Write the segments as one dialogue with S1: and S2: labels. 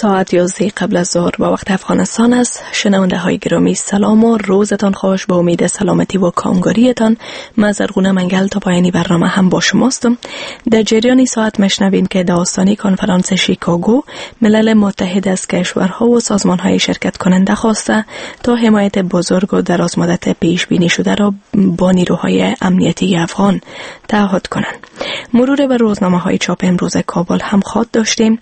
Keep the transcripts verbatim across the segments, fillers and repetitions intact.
S1: ساعت یازده قبل از ظهر با وقت افغانستان است. شنونده های گرامی سلام و روزتان خوش، با امید سلامتی و کامگاریتان. من زرغونه منگل تا پایانی برنامه هم با شماستم. در جریان ساعت مشنوین که داستانی کنفرانس شیکاگو ملل متحد از کشورها و سازمانهای شرکت کننده خواسته تا حمایت بزرگ و دراز مدت پیش بینی شده را با نیروهای امنیتی افغان تعهد کنند. مرور بر روزنامه های چاپ امروز کابل هم خواد داشتیم.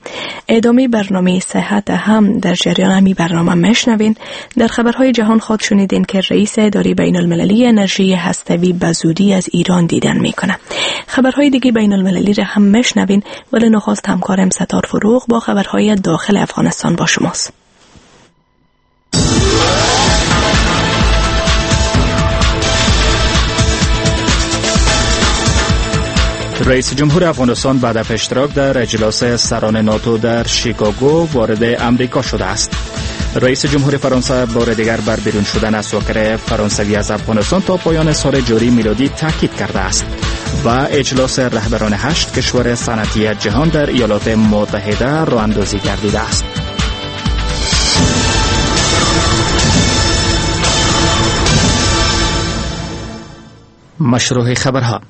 S1: ادامه برنامه صحت هم در جریان همی برنامه مشنوین. در خبرهای جهان خواد شنیدین که رئیس اداره بین المللی انرژی هستوی به زودی از ایران دیدن میکنه. خبرهای دیگه بین المللی را هم مشنوین، ولی نخست همکارم ستار فروغ با خبرهای داخل افغانستان با شماست.
S2: رئیس جمهور افغانستان بعد از اشتراک در اجلاس سران ناتو در شیکاگو وارد امریکا شده است. رئیس جمهور فرانسه بار دیگر بر بیرون شدن از ساکر فرانسوی از افغانستان تا پایان سال جاری میلادی تاکید کرده است. و اجلاس رهبران هشت کشور صنعتی جهان در ایالات متحده راه اندازی گردیده است. مشروع خبرها.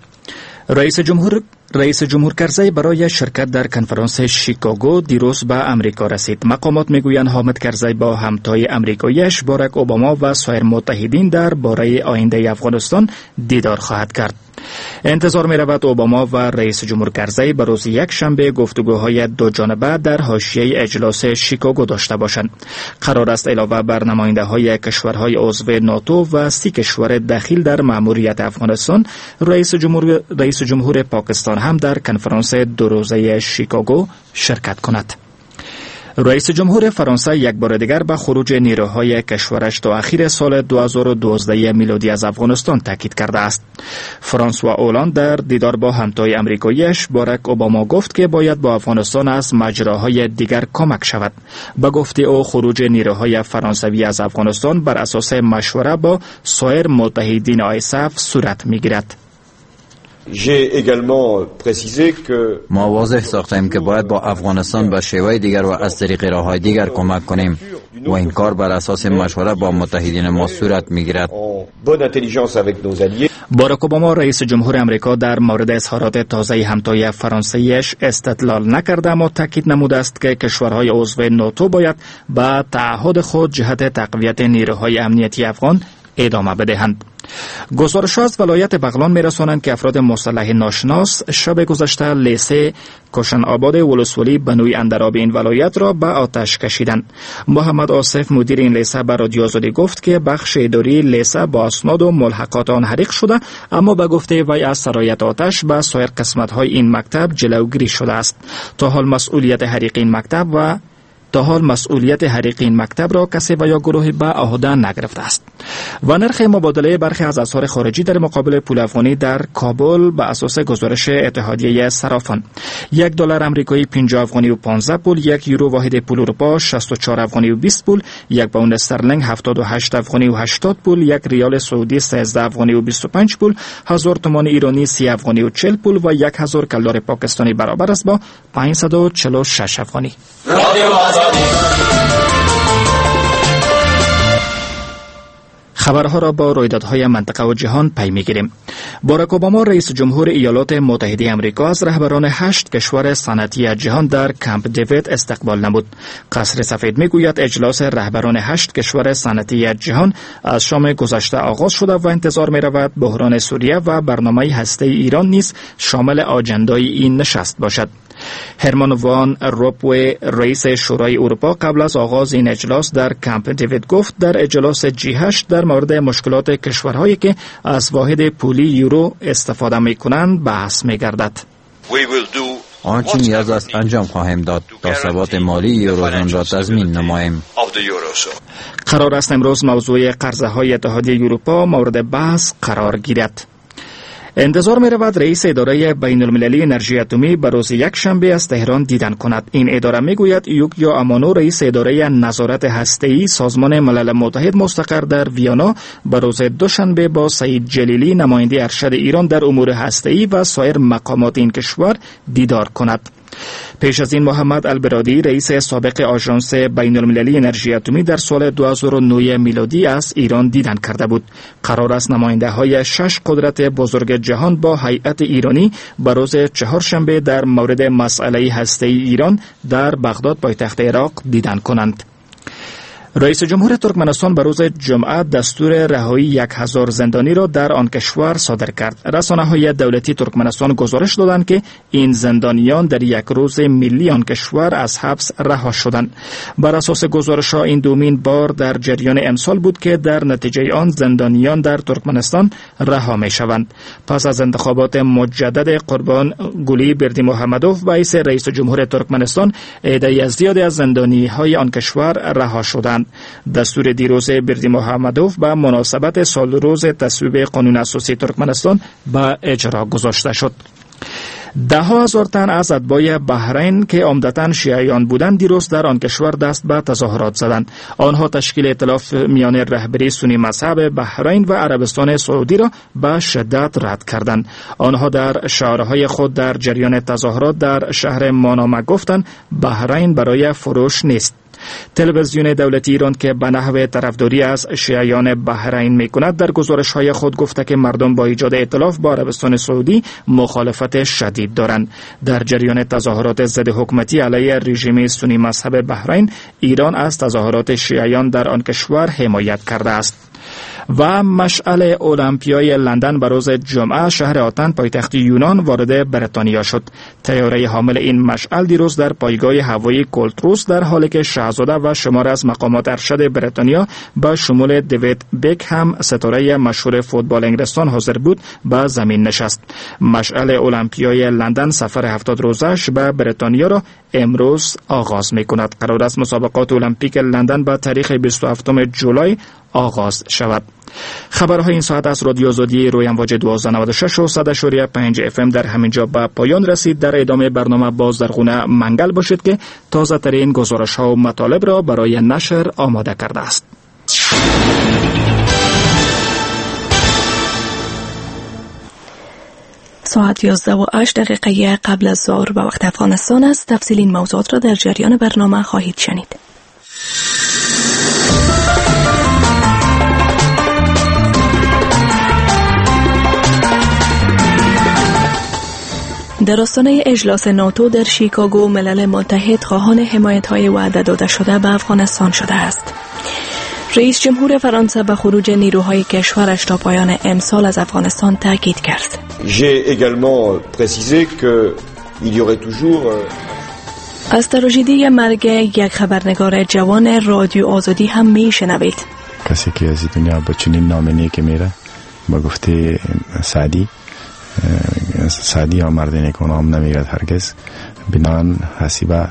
S2: رئیس جمهور رئیس جمهور کرزی برای شرکت در کنفرانس شیکاگو دیروز به امریکا رسید. مقامات میگویند حامد کرزی با همتای امریکاییش باراک اوباما و سایر متحدین در باره آینده افغانستان دیدار خواهد کرد. انتظار می رود اوباما و رئیس جمهور کرزی به روز یک شنبه گفتگوهای دو جانبه در حاشیه اجلاس شیکاگو داشته باشند. قرار است علاوه بر نماینده های کشورهای عضو ناتو و سی کشور دخیل در مأموریت افغانستان، رئیس جمهور رئیس جمهور پاکستان هم در کنفرانس دو روزه شیکاگو شرکت کند. رئیس جمهور فرانسه یک بار دیگر به خروج نیروهای کشورش تا اخیر سال دو هزار و دوازده میلادی از افغانستان تاکید کرده است. فرانسوا اولاند در دیدار با همتای امریکاییش باراک اوباما گفت که باید با افغانستان از مجراهای دیگر کمک شود. به گفته او خروج نیروهای فرانسوی از افغانستان بر اساس مشوره با سایر متحدین آیساف صورت میگیرد.
S3: ما واضح ساختیم که باید با افغانستان به شیوه دیگر و از طریق راه‌های دیگر کمک کنیم و این کار بر اساس مشوره با متحدین ما صورت میگیرد.
S2: باراک اوباما رئیس جمهور امریکا در مورد اظهارات تازه همتای فرانسویش استدلال نکرده، اما تاکید نموده است که کشورهای عضو ناتو باید به تعهد خود جهت تقویت نیروهای امنیتی افغان ادامه بدهند. گزارش از ولایت بغلان می‌رسانند که افراد مسلح ناشناس شب گذشته لیسه کشن آباد ولسوالی بنوی اندراب این ولایت را به آتش کشیدند. محمد آصف مدیر این لیسه به رادیو آزادی گفت که بخش اداری لیسه با اسناد و ملحقات آن حریق شده، اما به گفته وی از سرایت آتش به سایر قسمت‌های این مکتب جلوگیری شده است. تا حال مسئولیت حریق این مکتب و تا حال مسئولیت حریق این مکتب را کسی و یا گروهی به عهده نگرفته است. و نرخ مبادله برخی از اسعار خارجی در مقابل پول افغانی در کابل به اساس گزارش اتحادیه صرافان: یک دلار امریکایی پنجاه افغانی و پانزده پول، یک یورو واحد پول اروپا شصت و چهار افغانی و بیست پول، یک پوند استرلینگ هفتاد و هشت افغانی و هشتاد پول، یک ریال سعودی سیزده افغانی و بیست و پنج پول، هزار تومان ایرانی سی افغانی و چهل پول و یک هزار کلدار پاکستانی برابر است با پانصد و چهل و شش افغانی. خبرها را با رویدادهای منطقه و جهان پی می‌گیریم. باراک اوباما رئیس جمهور ایالات متحده آمریکا از رهبران هشت کشور صنعتی جهان در کمپ دیوید استقبال نمود. قصر سفید می‌گوید اجلاس رهبران هشت کشور صنعتی جهان از شام گذشته آغاز شده و انتظار می‌رود بحران سوریه و برنامه هسته‌ای ایران نیز شامل آجندای این نشست باشد. هرمان وان روپوی رئیس شورای اروپا قبل از آغاز این اجلاس در کمپ دیوید گفت در اجلاس جی هشت در مورد مشکلات کشورهایی که از واحد پولی یورو استفاده می‌کنند بحث می‌گردد.
S3: آنچه نیاز است انجام خواهیم داد تا ثبات مالی یوروزون را تضمین نماییم.
S2: قرار است امروز موضوع قرضه‌های اتحادیه اروپا مورد بحث قرار گیرد. انتظار می رود رئیس اداره بین المللی انرژی اتمی به روز یک شنبه از تهران دیدن کند. این اداره می گوید یوکیا امانو رئیس اداره نظارت هسته‌ای سازمان ملل متحد مستقر در ویانا به روز دوشنبه با سعید جلیلی نماینده ارشد ایران در امور هسته‌ای و سایر مقامات این کشور دیدار کند. پیش از این محمد البرادی رئیس سابق آژانس بین المللی انرژی اتمی در سال دو هزار و نه میلادی از ایران دیدن کرده بود. قرار است نماینده های شش قدرت بزرگ جهان با هیئت ایرانی به روز چهارشنبه در مورد مسئله هسته‌ای ایران در بغداد پایتخت عراق دیدن کنند. رئیس جمهور ترکمنستان به روز جمعه دستور رهایی یک هزار زندانی را در آن کشور صادر کرد. رسانه‌های دولتی ترکمنستان گزارش دادند که این زندانیان در یک روز ملی آن کشور از حبس رها شدند. بر اساس گزارش‌ها این دومین بار در جریان امسال بود که در نتیجه آن زندانیان در ترکمنستان رها می‌شوند. پس از انتخابات مجدد قربان گلی بردی محمدوف رئیس رئیس جمهور ترکمنستان، عده‌ای از زیادی از زندانی‌های آن کشور رها شدند. دستور دیروز بردی محمدوف به مناسبت سال روز تصویب قانون اساسی ترکمنستان به اجرا گذاشته شد. ده هزار تن از اتباع بحرین که عمدتاً شیعیان بودند دیروز در آن کشور دست به تظاهرات زدند. آنها تشکیل ائتلاف میان رهبری سنی مذهب بحرین و عربستان سعودی را به شدت رد کردند. آنها در شعارهای خود در جریان تظاهرات در شهر مانامه گفتند بحرین برای فروش نیست. تلویزیون دولتی ایران که به نحو طرفداری از شیعیان بحرین میکند در گزارش‌های خود گفته که مردم با ایجاد ائتلاف با عربستان سعودی مخالفت شدید دارند. در جریان تظاهرات ضد حکومتی علیه رژیم سنی مذهب بحرین، ایران از تظاهرات شیعیان در آن کشور حمایت کرده است. و مشعل المپیای لندن به روز جمعه شهر آتن پایتخت یونان وارد بریتانیا شد. طیاره حامل این مشعل دیروز در پایگاه هوایی کولتروس در حالی که شاهزاده و شمار از مقامات ارشد بریتانیا به شمول دیوید بک هم ستاره مشهور فوتبال انگلستان حاضر بود به زمین نشست. مشعل المپیای لندن سفر هفتاد روزش به بریتانیا را امروز آغاز می کند. قرار است مسابقات المپیک لندن به تاریخ بیست و هفتم جولای آغاز شود. خبرهای این ساعت از رادیو آزادی روی امواج دوازده نود و شش و صد و پنج اف ام در همین جا به پایان رسید. در ادامه برنامه باز در خونه منگل باشید که تازه ترین گزارش ها و مطالب را برای نشر آماده کرده است.
S1: ساعت یازده و هشت دقیقه قبل از ظهر به وقت افغانستان است. تفصیل این موضوعات را در جریان برنامه خواهید شنید. در آستانه اجلاس ناتو در شیکاگو، ملل متحد خواهان حمایت‌های وعده داده شده به افغانستان شده است. رئیس جمهور فرانسه به خروج نیروهای کشورش تا پایان امسال از افغانستان تاکید کرد. از تراژدی مرگ یک خبرنگار جوان رادیو آزادی هم میشنوید.
S4: کسی که از دنیا با چنین نام نیک میره، با گفته سعدی، سعدی یا مرد نیکونام نمیرد هرگز. بنان حسیبه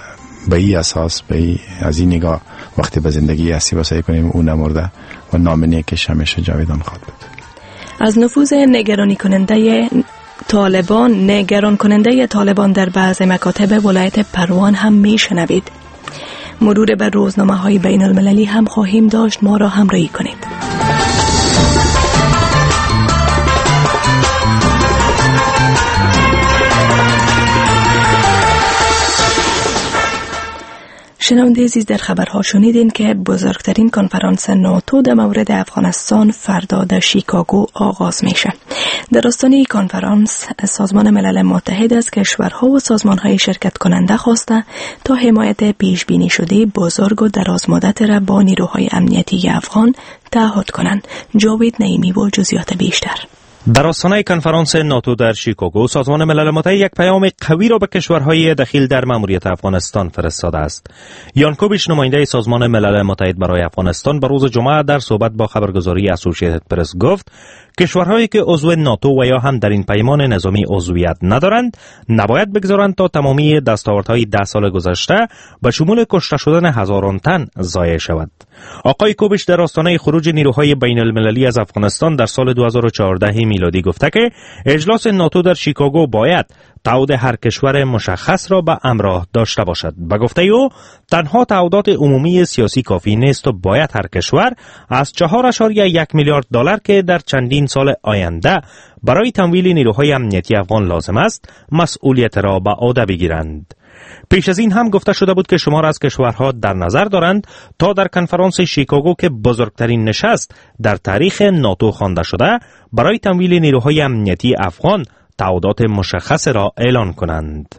S4: به این اساس، به ای از این نگاه وقتی به زندگی حسیبه سعی کنیم او نمرده و نام نیکش همیشه جاودان خواهد بود.
S1: از نفوذ نگرانی کننده طالبان نگران کننده طالبان در بعض مکاتب ولایت پروان هم میشنوید. مرور بر روزنامه های بین المللی هم خواهیم داشت. ما را همراهی کنید. شنونده عزیز، در خبرها شنیدین که بزرگترین کنفرانس ناتو در مورد افغانستان فردا در شیکاگو آغاز میشه. در آستانه کنفرانس سازمان ملل متحد از کشورها و سازمانهای شرکت کننده خواسته تا حمایت پیش بینی شده بزرگ و درازمدت را با نیروهای امنیتی افغان تعهد کنند. جاوید نعیمی و جزئیات بیشتر.
S5: در آستانه کنفرانس ناتو در شیکاگو، سازمان ملل متحد یک پیام قوی را به کشورهای دخیل در ماموریت افغانستان فرستاده است. یان کوبیش، نماینده سازمان ملل متحد برای افغانستان، به روز جمعه در صحبت با خبرگزاری اسوسییتد پرس گفت کشورهایی که عضو ناتو و یا هم در این پیمان نظامی عضویت ندارند نباید بگذارند تا تمامی دستاوردهای ده سال گذشته به شمول کشته شدن هزاران تن ضایع شود. آقای کوبش در آستانه خروج نیروهای بین المللی از افغانستان در سال دو هزار و چهارده میلادی گفته که اجلاس ناتو در شیکاگو باید تعهد هر کشور مشخص را به همراه داشته باشد. به گفته او تنها تعهدات عمومی سیاسی کافی نیست و باید هر کشور از چهار اعشاریه یک میلیارد دلار که در چندین سال آینده برای تمویل نیروهای امنیتی افغان لازم است مسئولیت را به عهده بگیرند. پیش از این هم گفته شده بود که شمار از کشورها در نظر دارند تا در کنفرانس شیکاگو که بزرگترین نشست در تاریخ ناتو خوانده شده برای تمویل نیروهای امنیتی افغان تعهدات مشخص را اعلان کنند.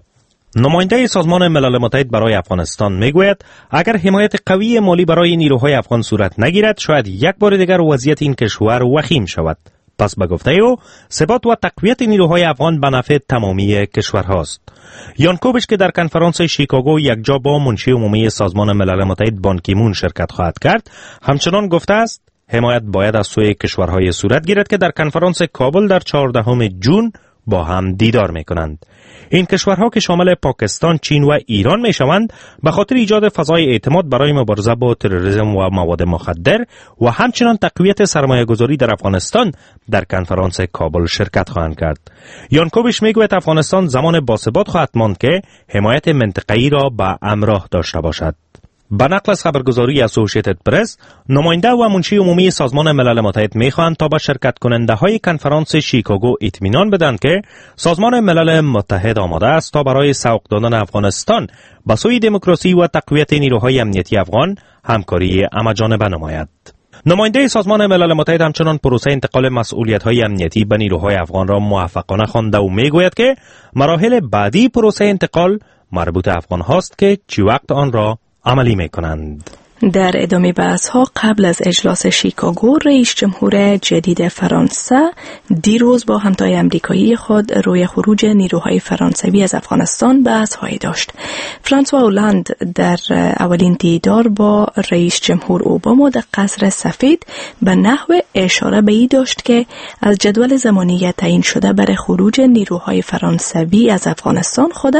S5: نماینده سازمان ملل متحد برای افغانستان میگوید اگر حمایت قوی مالی برای نیروهای افغان صورت نگیرد شاید یک بار دیگر وضعیت این کشور وخیم شود. پس به گفته او ثبات و تقویت نیروهای افغان به نفع تمامی کشورهاست. یان کوبش که در کنفرانس شیکاگو یکجا با منشی عمومی سازمان ملل متحد بان کی مون شرکت خواهد کرد همچنان گفته است حمایت باید از سوی کشورهای صورت گیرد که در کنفرانس کابل در چهاردهم جون با هم دیدار می کنند. این کشورها که شامل پاکستان، چین و ایران می شوند به خاطر ایجاد فضای اعتماد برای مبارزه با تروریسم و مواد مخدر و همچنان تقویت سرمایه گذاری در افغانستان در کنفرانس کابل شرکت خواهند کرد. یان کوبش می گوید افغانستان زمان باثبات خواهد ماند که حمایت منطقه‌ای را به همراه داشته باشد. به نقل از خبرگزاری اسوسییتد پرس، نماینده و منشی عمومی سازمان ملل متحد میخواهند تا به شرکت کننده های کنفرانس شیکاگو اطمینان بدهند که سازمان ملل متحد آماده است تا برای سوق دادن افغانستان به سوی دموکراسی و تقویت نیروهای امنیتی افغان همکاری همه‌جانبه نماید. نماینده سازمان ملل متحد همچنان پروسه انتقال مسئولیت‌های امنیتی به نیروهای افغان را موفقانه خوانده و میگوید که مراحل بعدی پروسه انتقال مربوط افغان هاست که چی وقت آن را عملی می کنند.
S1: در ادامه بحث ها قبل از اجلاس شیکاگو رئیس جمهور جدید فرانسه دیروز با همتای امریکایی خود روی خروج نیروهای فرانسوی از افغانستان بحث هایی داشت. فرانسوا اولاند در اولین دیدار با رئیس جمهور اوباما در قصر سفید به نحو اشاره به ای داشت که از جدول زمانی تعیین شده برای خروج نیروهای فرانسوی از افغانستان خود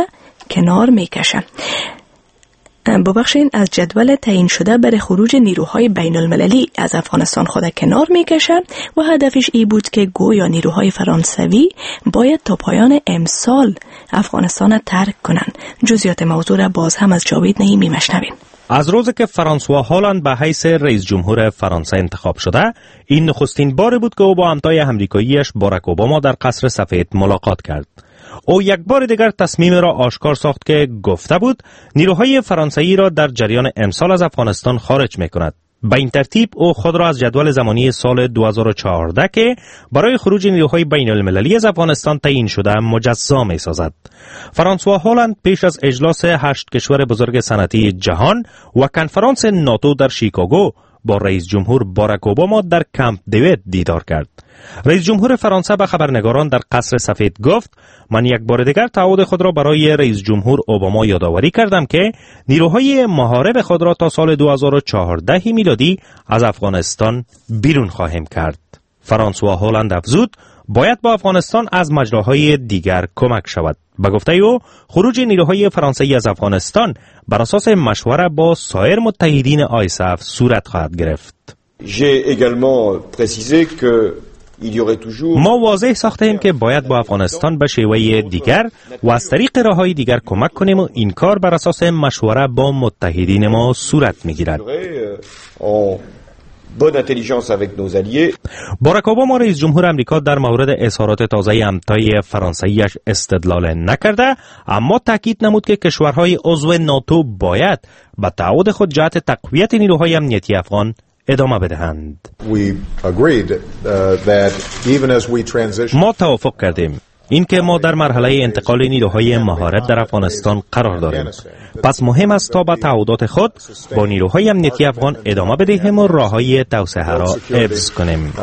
S1: کنار می کشد. ببخشید از جدول تعیین شده برای خروج نیروهای بین المللی از افغانستان خود کنار میکشد و هدفش ای بود که گویا نیروهای فرانسوی باید تا پایان امسال افغانستان ترک کنند. جزئیات موضوع را باز هم از جاوید نعیمی مشنویم.
S5: از روزی که فرانسوا هالاند به حیث رئیس جمهور فرانسه انتخاب شده، این نخستین بار بود که او با همتای امریکاییش باراک اوباما در قصر سفید ملاقات کرد. او یک بار دیگر تصمیم را آشکار ساخت که گفته بود نیروهای فرانسوی را در جریان امسال از افغانستان خارج می کند. به این ترتیب او خود را از جدول زمانی سال دو هزار و چهارده که برای خروج نیروهای بین المللی از افغانستان تعیین شده مجزا می سازد. فرانسوا هالاند پیش از اجلاس هشت کشور بزرگ صنعتی جهان و کنفرانس ناتو در شیکاگو با رئیس جمهور باراک اوباما در کمپ دیوید دیدار کرد. رئیس جمهور فرانسه به خبرنگاران در قصر سفید گفت من یک بار دیگر تعهد خود را برای رئیس جمهور اوباما یادآوری کردم که نیروهای محارب خود را تا سال دو هزار و چهارده میلادی از افغانستان بیرون خواهیم کرد. فرانسوا هالاند افزود باید با افغانستان از مجراهای دیگر کمک شود. به گفته او خروج نیروهای فرانسوی از افغانستان بر اساس مشوره با سایر متحدین آیساف صورت خواهد گرفت. ما واضح ساختیم که باید با افغانستان به شیوه دیگر و از طریق راه‌های دیگر کمک کنیم و این کار بر اساس مشوره با متحدین ما صورت می‌گیرد. باراک اوباما رئیس جمهور امریکا در مورد اظهارات تازه همتای فرانسویش استدلال نکرده، اما تاکید نمود که کشورهای عضو ناتو باید به تعهد خود جهت تقویت نیروهای امنیتی افغان ادامه بدهند. ما توافق کردیم اینکه ما در مرحله انتقال نیروهای محارب در افغانستان قرار داریم. پس مهم است تا به تعهدات خود با نیروهای امنیتی افغان ادامه بدهیم و راه‌های توسعه را حفظ کنیم.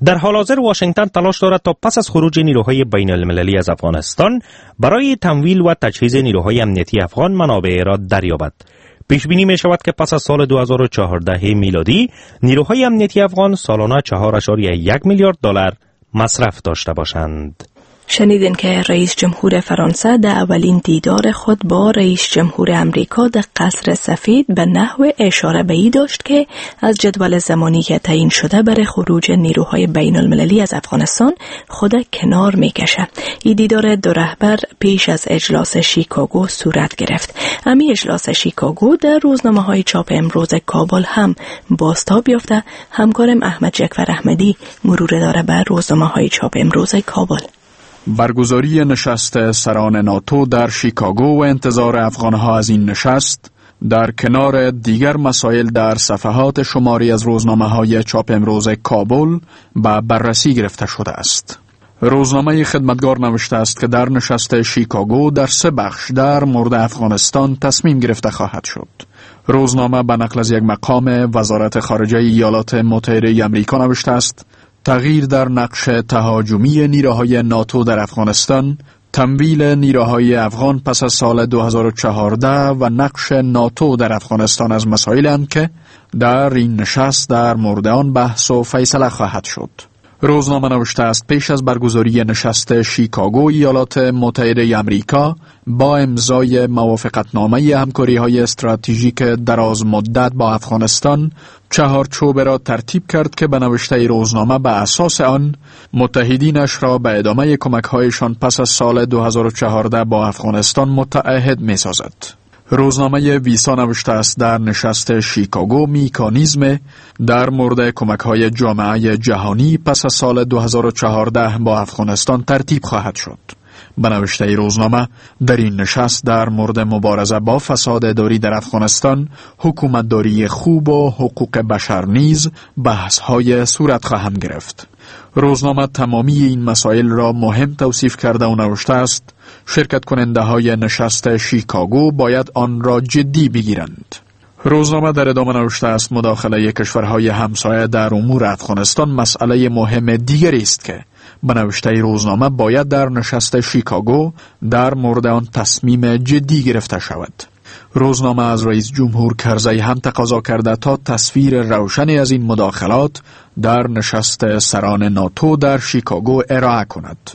S5: در حال حاضر واشنگتن تلاش دارد تا پس از خروج نیروهای بین المللی از افغانستان برای تمویل و تجهیز نیروهای امنیتی افغان منابع را دریابد. پیش بینی می شود که پس از سال دو هزار و چهارده میلادی نیروهای امنیتی افغان سالانه چهار اعشاریه یک میلیارد دلار مصرف داشته باشند.
S1: شنیدین که رئیس جمهور فرانسه در اولین دیدار خود با رئیس جمهور امریکا در قصر سفید به نحو اشاره به ای داشت که از جدول زمانی که تعیین شده برای خروج نیروهای بین المللی از افغانستان خود کنار میکشه. این دیدار دو رهبر پیش از اجلاس شیکاگو صورت گرفت. امی اجلاس شیکاگو در روزنامه های چاپ امروز کابل هم بازتاب یافته. همکارم احمد جکفر احمدی مرور داره بر روزنامه های چاپ امروز کابل.
S6: برگزاری نشست سران ناتو در شیکاگو و انتظار افغانها از این نشست در کنار دیگر مسائل در صفحات شماری از روزنامه‌های چاپ امروز کابل به بررسی گرفته شده است. روزنامه خدمتگار نوشته است که در نشست شیکاگو در سه بخش در مورد افغانستان تصمیم گرفته خواهد شد. روزنامه به نقل از یک مقام وزارت خارجه ایالات متحده آمریکا نوشته است تغییر در نقش تهاجمی نیروهای ناتو در افغانستان، تمویل نیروهای افغان پس از سال دو هزار و چهارده و نقش ناتو در افغانستان از مسائلند که در این نشست در مورد آن بحث و فیصله خواهد شد. روزنامه نوشته است پیش از برگزاری نشست شیکاگو ایالات متحده آمریکا با امضای موافقتنامه همکاری‌های استراتژیک دراز مدت با افغانستان چهارچوب را ترتیب کرد که به نوشته روزنامه به اساس آن متحدینش را به ادامه کمک‌هایشان پس از سال دو هزار و چهارده با افغانستان متعهد می‌سازد. روزنامه ویسا نوشته است در نشست شیکاگو میکانیزم در مورد کمک‌های جامعه جهانی پس از سال دو هزار و چهارده با افغانستان ترتیب خواهد شد. به نوشته روزنامه در این نشست در مورد مبارزه با فساد اداری در افغانستان، حکومتداری خوب و حقوق بشر نیز بحث‌های صورت خواهند گرفت. روزنامه تمامی این مسائل را مهم توصیف کرده و نوشته است شرکت کننده های نشست شیکاگو باید آن را جدی بگیرند. روزنامه در ادامه نوشته است مداخله کشورهای همسایه در امور افغانستان مسئله مهم دیگری است که به نوشته روزنامه باید در نشست شیکاگو در مورد آن تصمیم جدی گرفته شود. روزنامه از رئیس جمهور کرزی هم تقاضا کرده تا تصویر روشنی از این مداخلات در نشست سران ناتو در شیکاگو ارائه کند.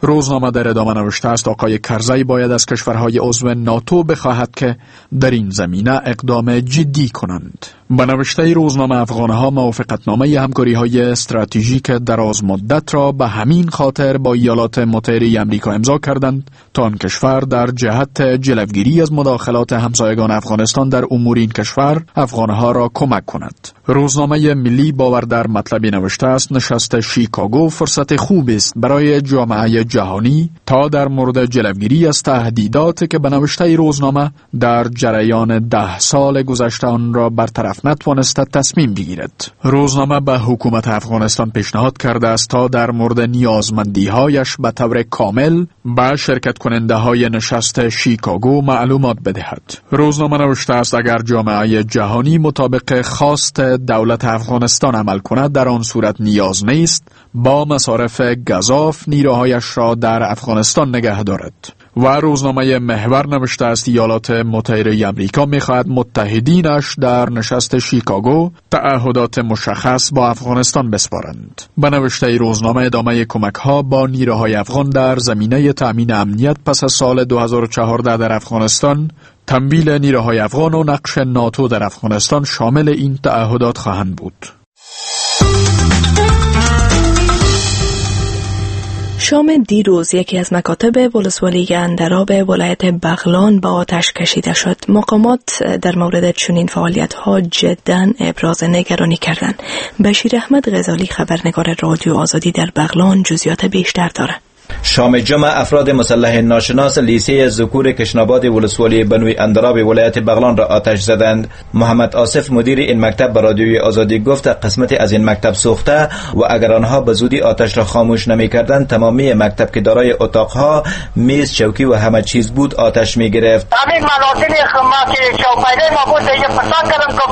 S6: روزنامه در ادامه نوشته است آقای کرزی باید از کشورهای عضو ناتو بخواهد که در این زمینه اقدام جدی کنند. به نوشته روزنامه افغانها موافقتنامه همکاری‌های استراتژیک دراز مدت را به همین خاطر با ایالات متحده آمریکا امضا کردند تا آن کشور در جهت جلوگیری از مداخلات همسایگان افغانستان در امور این کشور افغانها را کمک کند. روزنامه ملی باور در مطلبی نوشته است نشست شیکاگو فرصت خوب است برای جامعه جهانی تا در مورد جلوگیری از تهدیدات که به نوشته روزنامه در جریان ده سال گذشته آن را برطرف نتوانسته تصمیم بگیرد. روزنامه به حکومت افغانستان پیشنهاد کرده است تا در مورد نیازمندی‌هایش به طور کامل به شرکت کننده های نشست شیکاگو معلومات بدهد. روزنامه نوشته است اگر جامعه جهانی مطابق خواست دولت افغانستان عمل کند در آن صورت نیاز نیست با مصارف گزاف نیروهایش را در افغانستان نگه دارد. و روزنامه محور نوشته است ایالات متحده آمریکا می‌خواهد متحدینش در نشست شیکاگو تعهدات مشخص با افغانستان بسپارند. به نوشته روزنامه ادامه کمک‌ها با نیروهای افغان در زمینه تأمین امنیت پس از سال دو هزار و چهارده در افغانستان، تمویل نیروهای افغان و نقش ناتو در افغانستان شامل این تعهدات خواهند بود.
S1: شام دیروز یکی از مکاتب ولسوالی اندراب ولایت بغلان با آتش کشیده شد. مقامات در مورد چنین فعالیت‌ها جداً ابراز نگرانی کردند. بشیر احمد غزالی خبرنگار رادیو آزادی در بغلان جزئیات بیشتر دارد.
S7: شام جمعه افراد مسلح ناشناس لیسه ذکور کشناباد ولسوالی بنوی اندراب ولایت بغلان را آتش زدند. محمد آصف مدیر این مکتب به رادیوی آزادی گفت قسمت از این مکتب سوخته و اگر آنها به زودی آتش را خاموش نمی‌کردند تمامی مکتب که دارای اتاقها، میز، چوکی و همه چیز بود آتش می‌گرفت.
S8: همین منازل ما که چوپایده ما بود دیگه پسان کردم که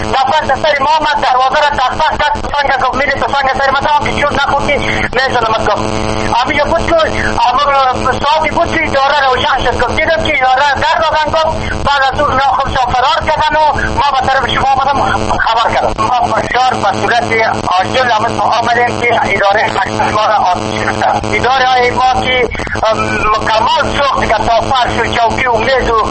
S8: نفر سر ما آمد دروازه را تخت کرد تفنگ گفت میری تفنگ سر ما تمام که چون نخورد میزنم گفت همین بود که ساعتی بود که اداره رو روشن شد. گفت دیدم که اداره در دادن. گفت بعد از اون خودشان فرار کردن و ما به طرف شما آمدم خبر کردم. ما بسیار به صورت عاجل آمدیم که اداره مکتب ما را آتش گرفته. اداره های ما که مکمل سوخت که تا فرش و چوکی و میز و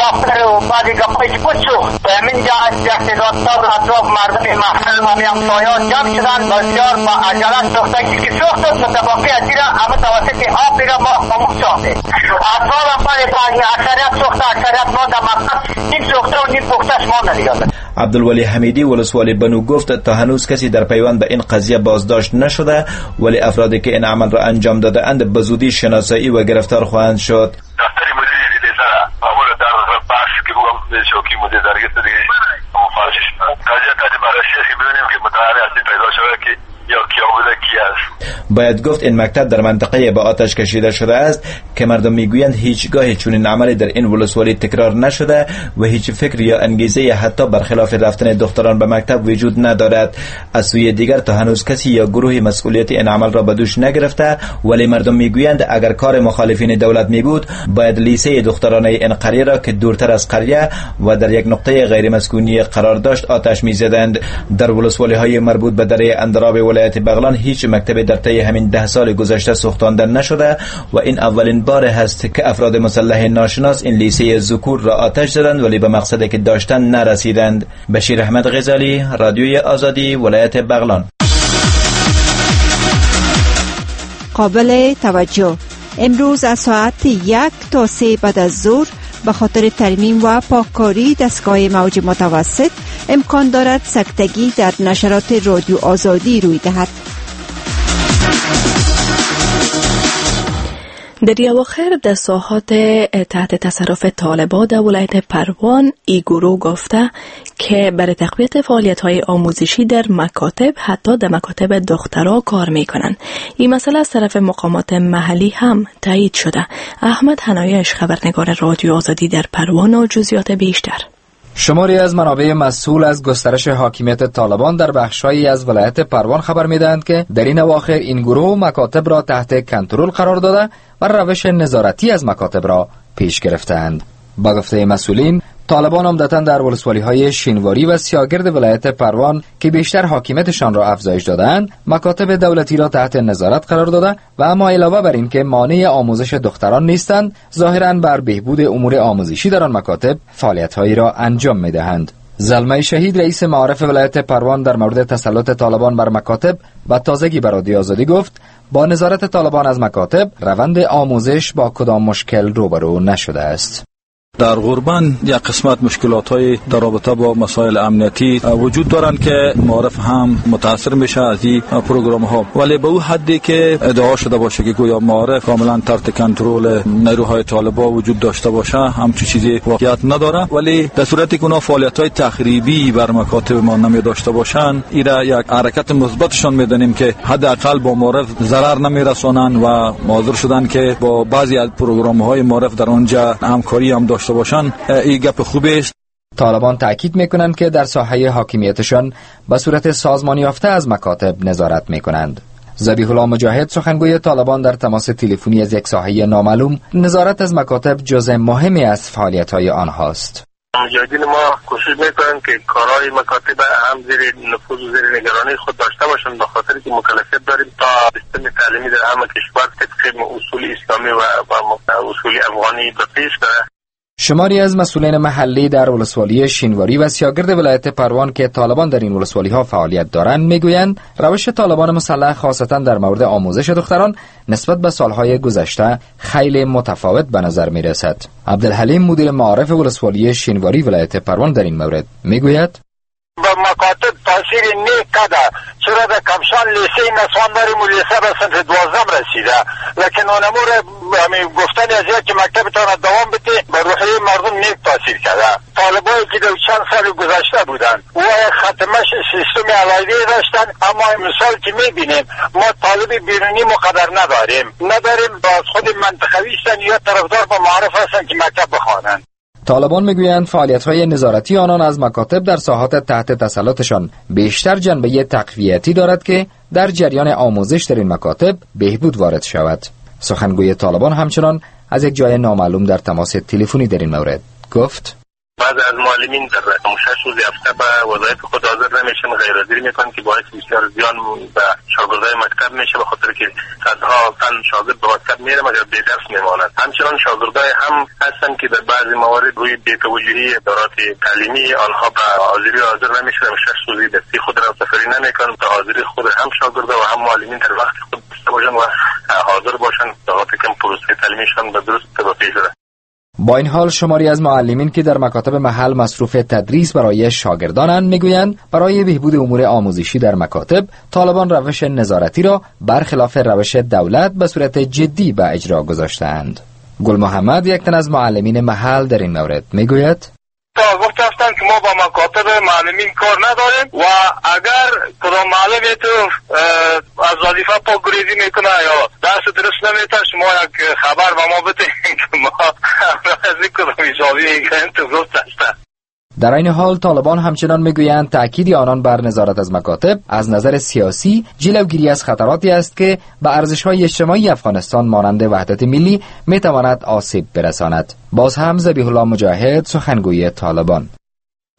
S8: دفتر و بعد گپایی که بود سوخت. به همین جا از یک تعداد تا اطراف مردم محل و همسایه‌ها جمع شدن. بسیار با عجله سوخته که سوخت متباقی از را همه توسط آب را ما خاموش ساختیم. اطفال هم بعد اکثریت سوخته، اکثریت ما در مکتب نیم سوخته و نیم پخته‌اش مانده دیگه.
S7: عبدالولی حمیدی ولسوال بنو گفت تا هنوز کسی در پیوند به این قضیه بازداشت نشده، ولی افرادی که این عمل را انجام داده اند به زودی شناسایی و گرفتار خواهند شد.
S9: دفتر مدیر لیزر اول در بخش که بگم شوکی مدیر درگیر دیگه مفارش قضیه تا بررسی ببینیم که متعارف اصلی پیدا شده که یا کیا بوده کی است.
S7: باید گفت این مکتب در منطقه با آتش کشیده شده است که مردم میگویند هیچگاه چنین عملی در این ولسوالی تکرار نشده و هیچ فکر یا انگیزه حتی برخلاف رفتن دختران به مکتب وجود ندارد. از سوی دیگر تا هنوز کسی یا گروه مسئولیت این عمل را به دوش نگرفته، ولی مردم میگویند اگر کار مخالفین دولت می بود باید لیسه دخترانه این قریه را که دورتر از قریه و در یک نقطه غیر مسکونی قرار داشت آتش میزدند. در ولسوالی های مربوط به دره اندراب ولایت بغلان هیچ مکتب در طی همین ده سال گذشته سوختانده نشده و این اولین بار هست که افراد مسلح ناشناس این لیسه ذکور را آتش زدند، ولی به مقصدی که داشتند نرسیدند. بشیر احمد غزالی، رادیوی آزادی، ولایت بغلان.
S10: قابل توجه امروز از ساعت یک تا سه بعد از ظهر به خاطر ترمیم و پاککاری دستگاه موج متوسط امکان دارد سکتگی در نشرات رادیو آزادی روی دهد.
S1: در اواخر در ساحات تحت تصرف طالبان در ولایت پروان ای گروه گفته که برای تقویت فعالیت‌های آموزشی در مکاتب حتی در مکاتب دخترها کار میکنند. این مسئله از طرف مقامات محلی هم تایید شده. احمد هنایش خبرنگار رادیو آزادی در پروان و جزئیات بیشتر.
S11: شماری از منابع مسئول از گسترش حاکمیت طالبان در بخش‌هایی از ولایت پروان خبر می‌دهند که در این اواخر این گروه مکاتب را تحت کنترل قرار داده و روش نظارتی از مکاتب را پیش گرفتند. با گفته مسئولین، طالبان عمدتاً در ولسوالی‌های شینواری و سیاگرد ولایت پروان که بیشتر حاکمیتشان را افزایش دادند، مکاتب دولتی را تحت نظارت قرار داده و اما علاوه بر این که مانع آموزش دختران نیستند، ظاهراً بر بهبود امور آموزشی در آن مکاتب فعالیت‌هایی را انجام می‌دهند. زلمه شهید رئیس معارف ولایت پروان در مورد تسلط طالبان بر مکاتب و تازگی بر رادیو آزادی گفت با نظارت طالبان از مکاتب روند آموزش با کدام مشکل روبرو نشده است.
S12: در غربان یک قسمت مشکلات های در رابطه با مسائل امنیتی وجود دارند که معارف هم متاثر میشه از این پروگرام ها، ولی به او حدی که ادعا شده باشه که گویا معارف کاملا تحت کنترل نیروهای طالبان وجود داشته باشه همچون چیزی واقعیت نداره. ولی در صورتی که اونا فعالیت های تخریبی بر مکاتب ما نمی داشته باشند، ایرا یک حرکت مثبتشان میدانیم که حداقل با معارف ضرر نمیرسانند و حاضر شدن که با بعضی از پروگرام های معارف در آنجا همکاری هم داشته باشن. این گپ خوبی است.
S11: طالبان تاکید میکنند که در ساحه حاکمیتشان به صورت سازمان یافته از مکاتب نظارت میکنند. ذبیح الله مجاهد سخنگوی طالبان در تماس تلفنی از یک ساحه نامعلوم نظارت از مکاتب جزء مهمی از فعالیت‌های آنهاست.
S9: مجاهدین ما کوشش میکنند که کارهای مکاتب هم زیر نفوذ و زیر نگرانی خود داشته باشند، به خاطر که مکلفیت داریم تا سیستم تعلیمی در همه کشور طبق اصول اسلامی و اصول افغانی به پیش بره.
S11: شماری از مسئولین محلی در ولسوالی شینواری و سیاگرد ولایت پروان که طالبان در این ولسوالی‌ها فعالیت دارند میگویند روش طالبان مسلح خاصتا در مورد آموزش دختران نسبت به سالهای گذشته خیلی متفاوت به نظر میرسد. عبدالحلیم مدیر معارف ولسوالی شینواری ولایت پروان در این مورد میگوید:
S8: به مکاتب تاثیر نیک کرده، چرا در کمشان لیسه نسوان داریم و لیسه به صنف دوازدهم رسیده، لکن اونمور گفتن از یک که مکتبتان دوام بده به روحیه مردم نیک تاثیر کرده. طالبایی که در چند سال گذشته بودن و ختمش سیستم علایده داشتن، اما مثال که میبینیم ما طالب بیرونی مقدر نداریم نداریم از خود منطقوی هستن یا طرفدار با معارف هستن که مکتب بخوانند.
S11: طالبان میگویند فعالیت‌های نظارتی آنان از مکاتب در ساحات تحت تسلطشان بیشتر جنبه تقویتی دارد که در جریان آموزش در این مکاتب بهبود وارد شود. سخنگوی طالبان همچنان از یک جای نامعلوم در تماس تلفنی در این مورد گفت:
S9: بعض از معلمین در شش روز هفته به وظایف خود حاضر نمیشن، غیر حاضری میکنن که باعث بسیار زیان به شاگردای مکتب میشه، به خاطر که صدها تن شاگرد به مکتب میره مگر بی درس میمانند. همچنان شاگردای هم هستن که در بعضی موارد روی بی‌توجهی ادارات تعلیمی آنها به حاضری حاضر نمیشن، شش روزی درسی خود را سفری نمیکنن تا حاضری خود هم شاگردا و هم معلمین در وقت خود داشته باشن و حاضر باشن تا که پروسه تعلیمیشان به درست پیش بره.
S11: با این حال شماری از معلمین که در مکاتب محل مصروف تدریس برای شاگردانند میگویند برای بهبود امور آموزشی در مکاتب طالبان روش نظارتی را برخلاف روش دولت به صورت جدی به اجرا گذاشتند. گل محمد یک تن از معلمین محل در این مورد میگوید:
S9: گفت هستند که ما با مکاتب معلمین کار نداریم و اگر کدام معلم تو از وظیفه پاک گریزی میکنه یا درس درست نمیته شما یک خبر به ما بدین که ما از این کدام حسابی میکنیم. تو گفت هستند.
S11: در این حال طالبان همچنان میگویند تأکید آنان بر نظارت از مکاتب از نظر سیاسی جلوگیری از خطراتی است که به ارزش‌های اجتماعی افغانستان مانند وحدت ملی میتواند آسیب برساند. باز هم ذبیح الله مجاهد سخنگوی طالبان: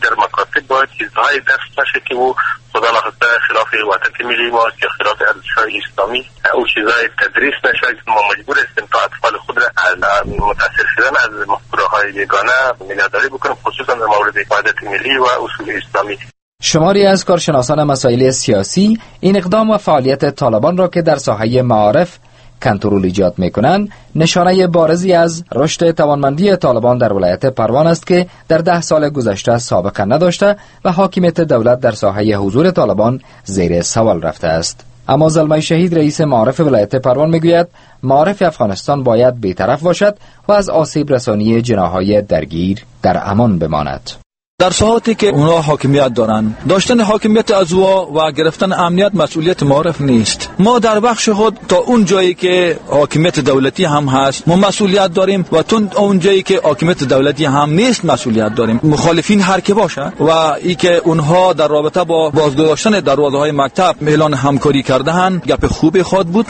S9: در مکاتب باید چیزهای درس نشه که او خدا نخواسته خلاف وحدت ملی ما یا خلاف ارزش‌های اسلامی او چیزهای تدریس نشه. ما مجبور هستیم تا اطفال خود را از متاثر شدن از مفکوره‌های بیگانه نگهداری بکنیم، خصوصا در مورد وحدت ملی و اصول اسلامی.
S11: شماری از کارشناسان مسائل سیاسی این اقدام و فعالیت طالبان را که در ساحه معارف کنترل ایجاد میکنند نشانه بارزی از رشد توانمندی طالبان در ولایت پروان است که در ده سال گذشته سابقه نداشته و حاکمیت دولت در ساحه حضور طالبان زیر سوال رفته است. اما زلمی شهید رئیس معارف ولایت پروان میگوید معارف افغانستان باید بی‌طرف باشد و از آسیب رسانی جناح‌های درگیر در امان بماند.
S12: در ساعتی که اونا حاکمیت دارن، داشتن حاکمیت از او و گرفتن امنیت مسئولیت معارف نیست. ما در بخش خود تا اون جایی که حاکمیت دولتی هم هست ما مسئولیت داریم و تا اون جایی که حاکمیت دولتی هم نیست مسئولیت داریم. مخالفین هر که باشه و ای که اونها در رابطه با بازگذاشتن دروازه‌های مکتب اعلان همکاری کرده‌اند، گپ خوب خود بود.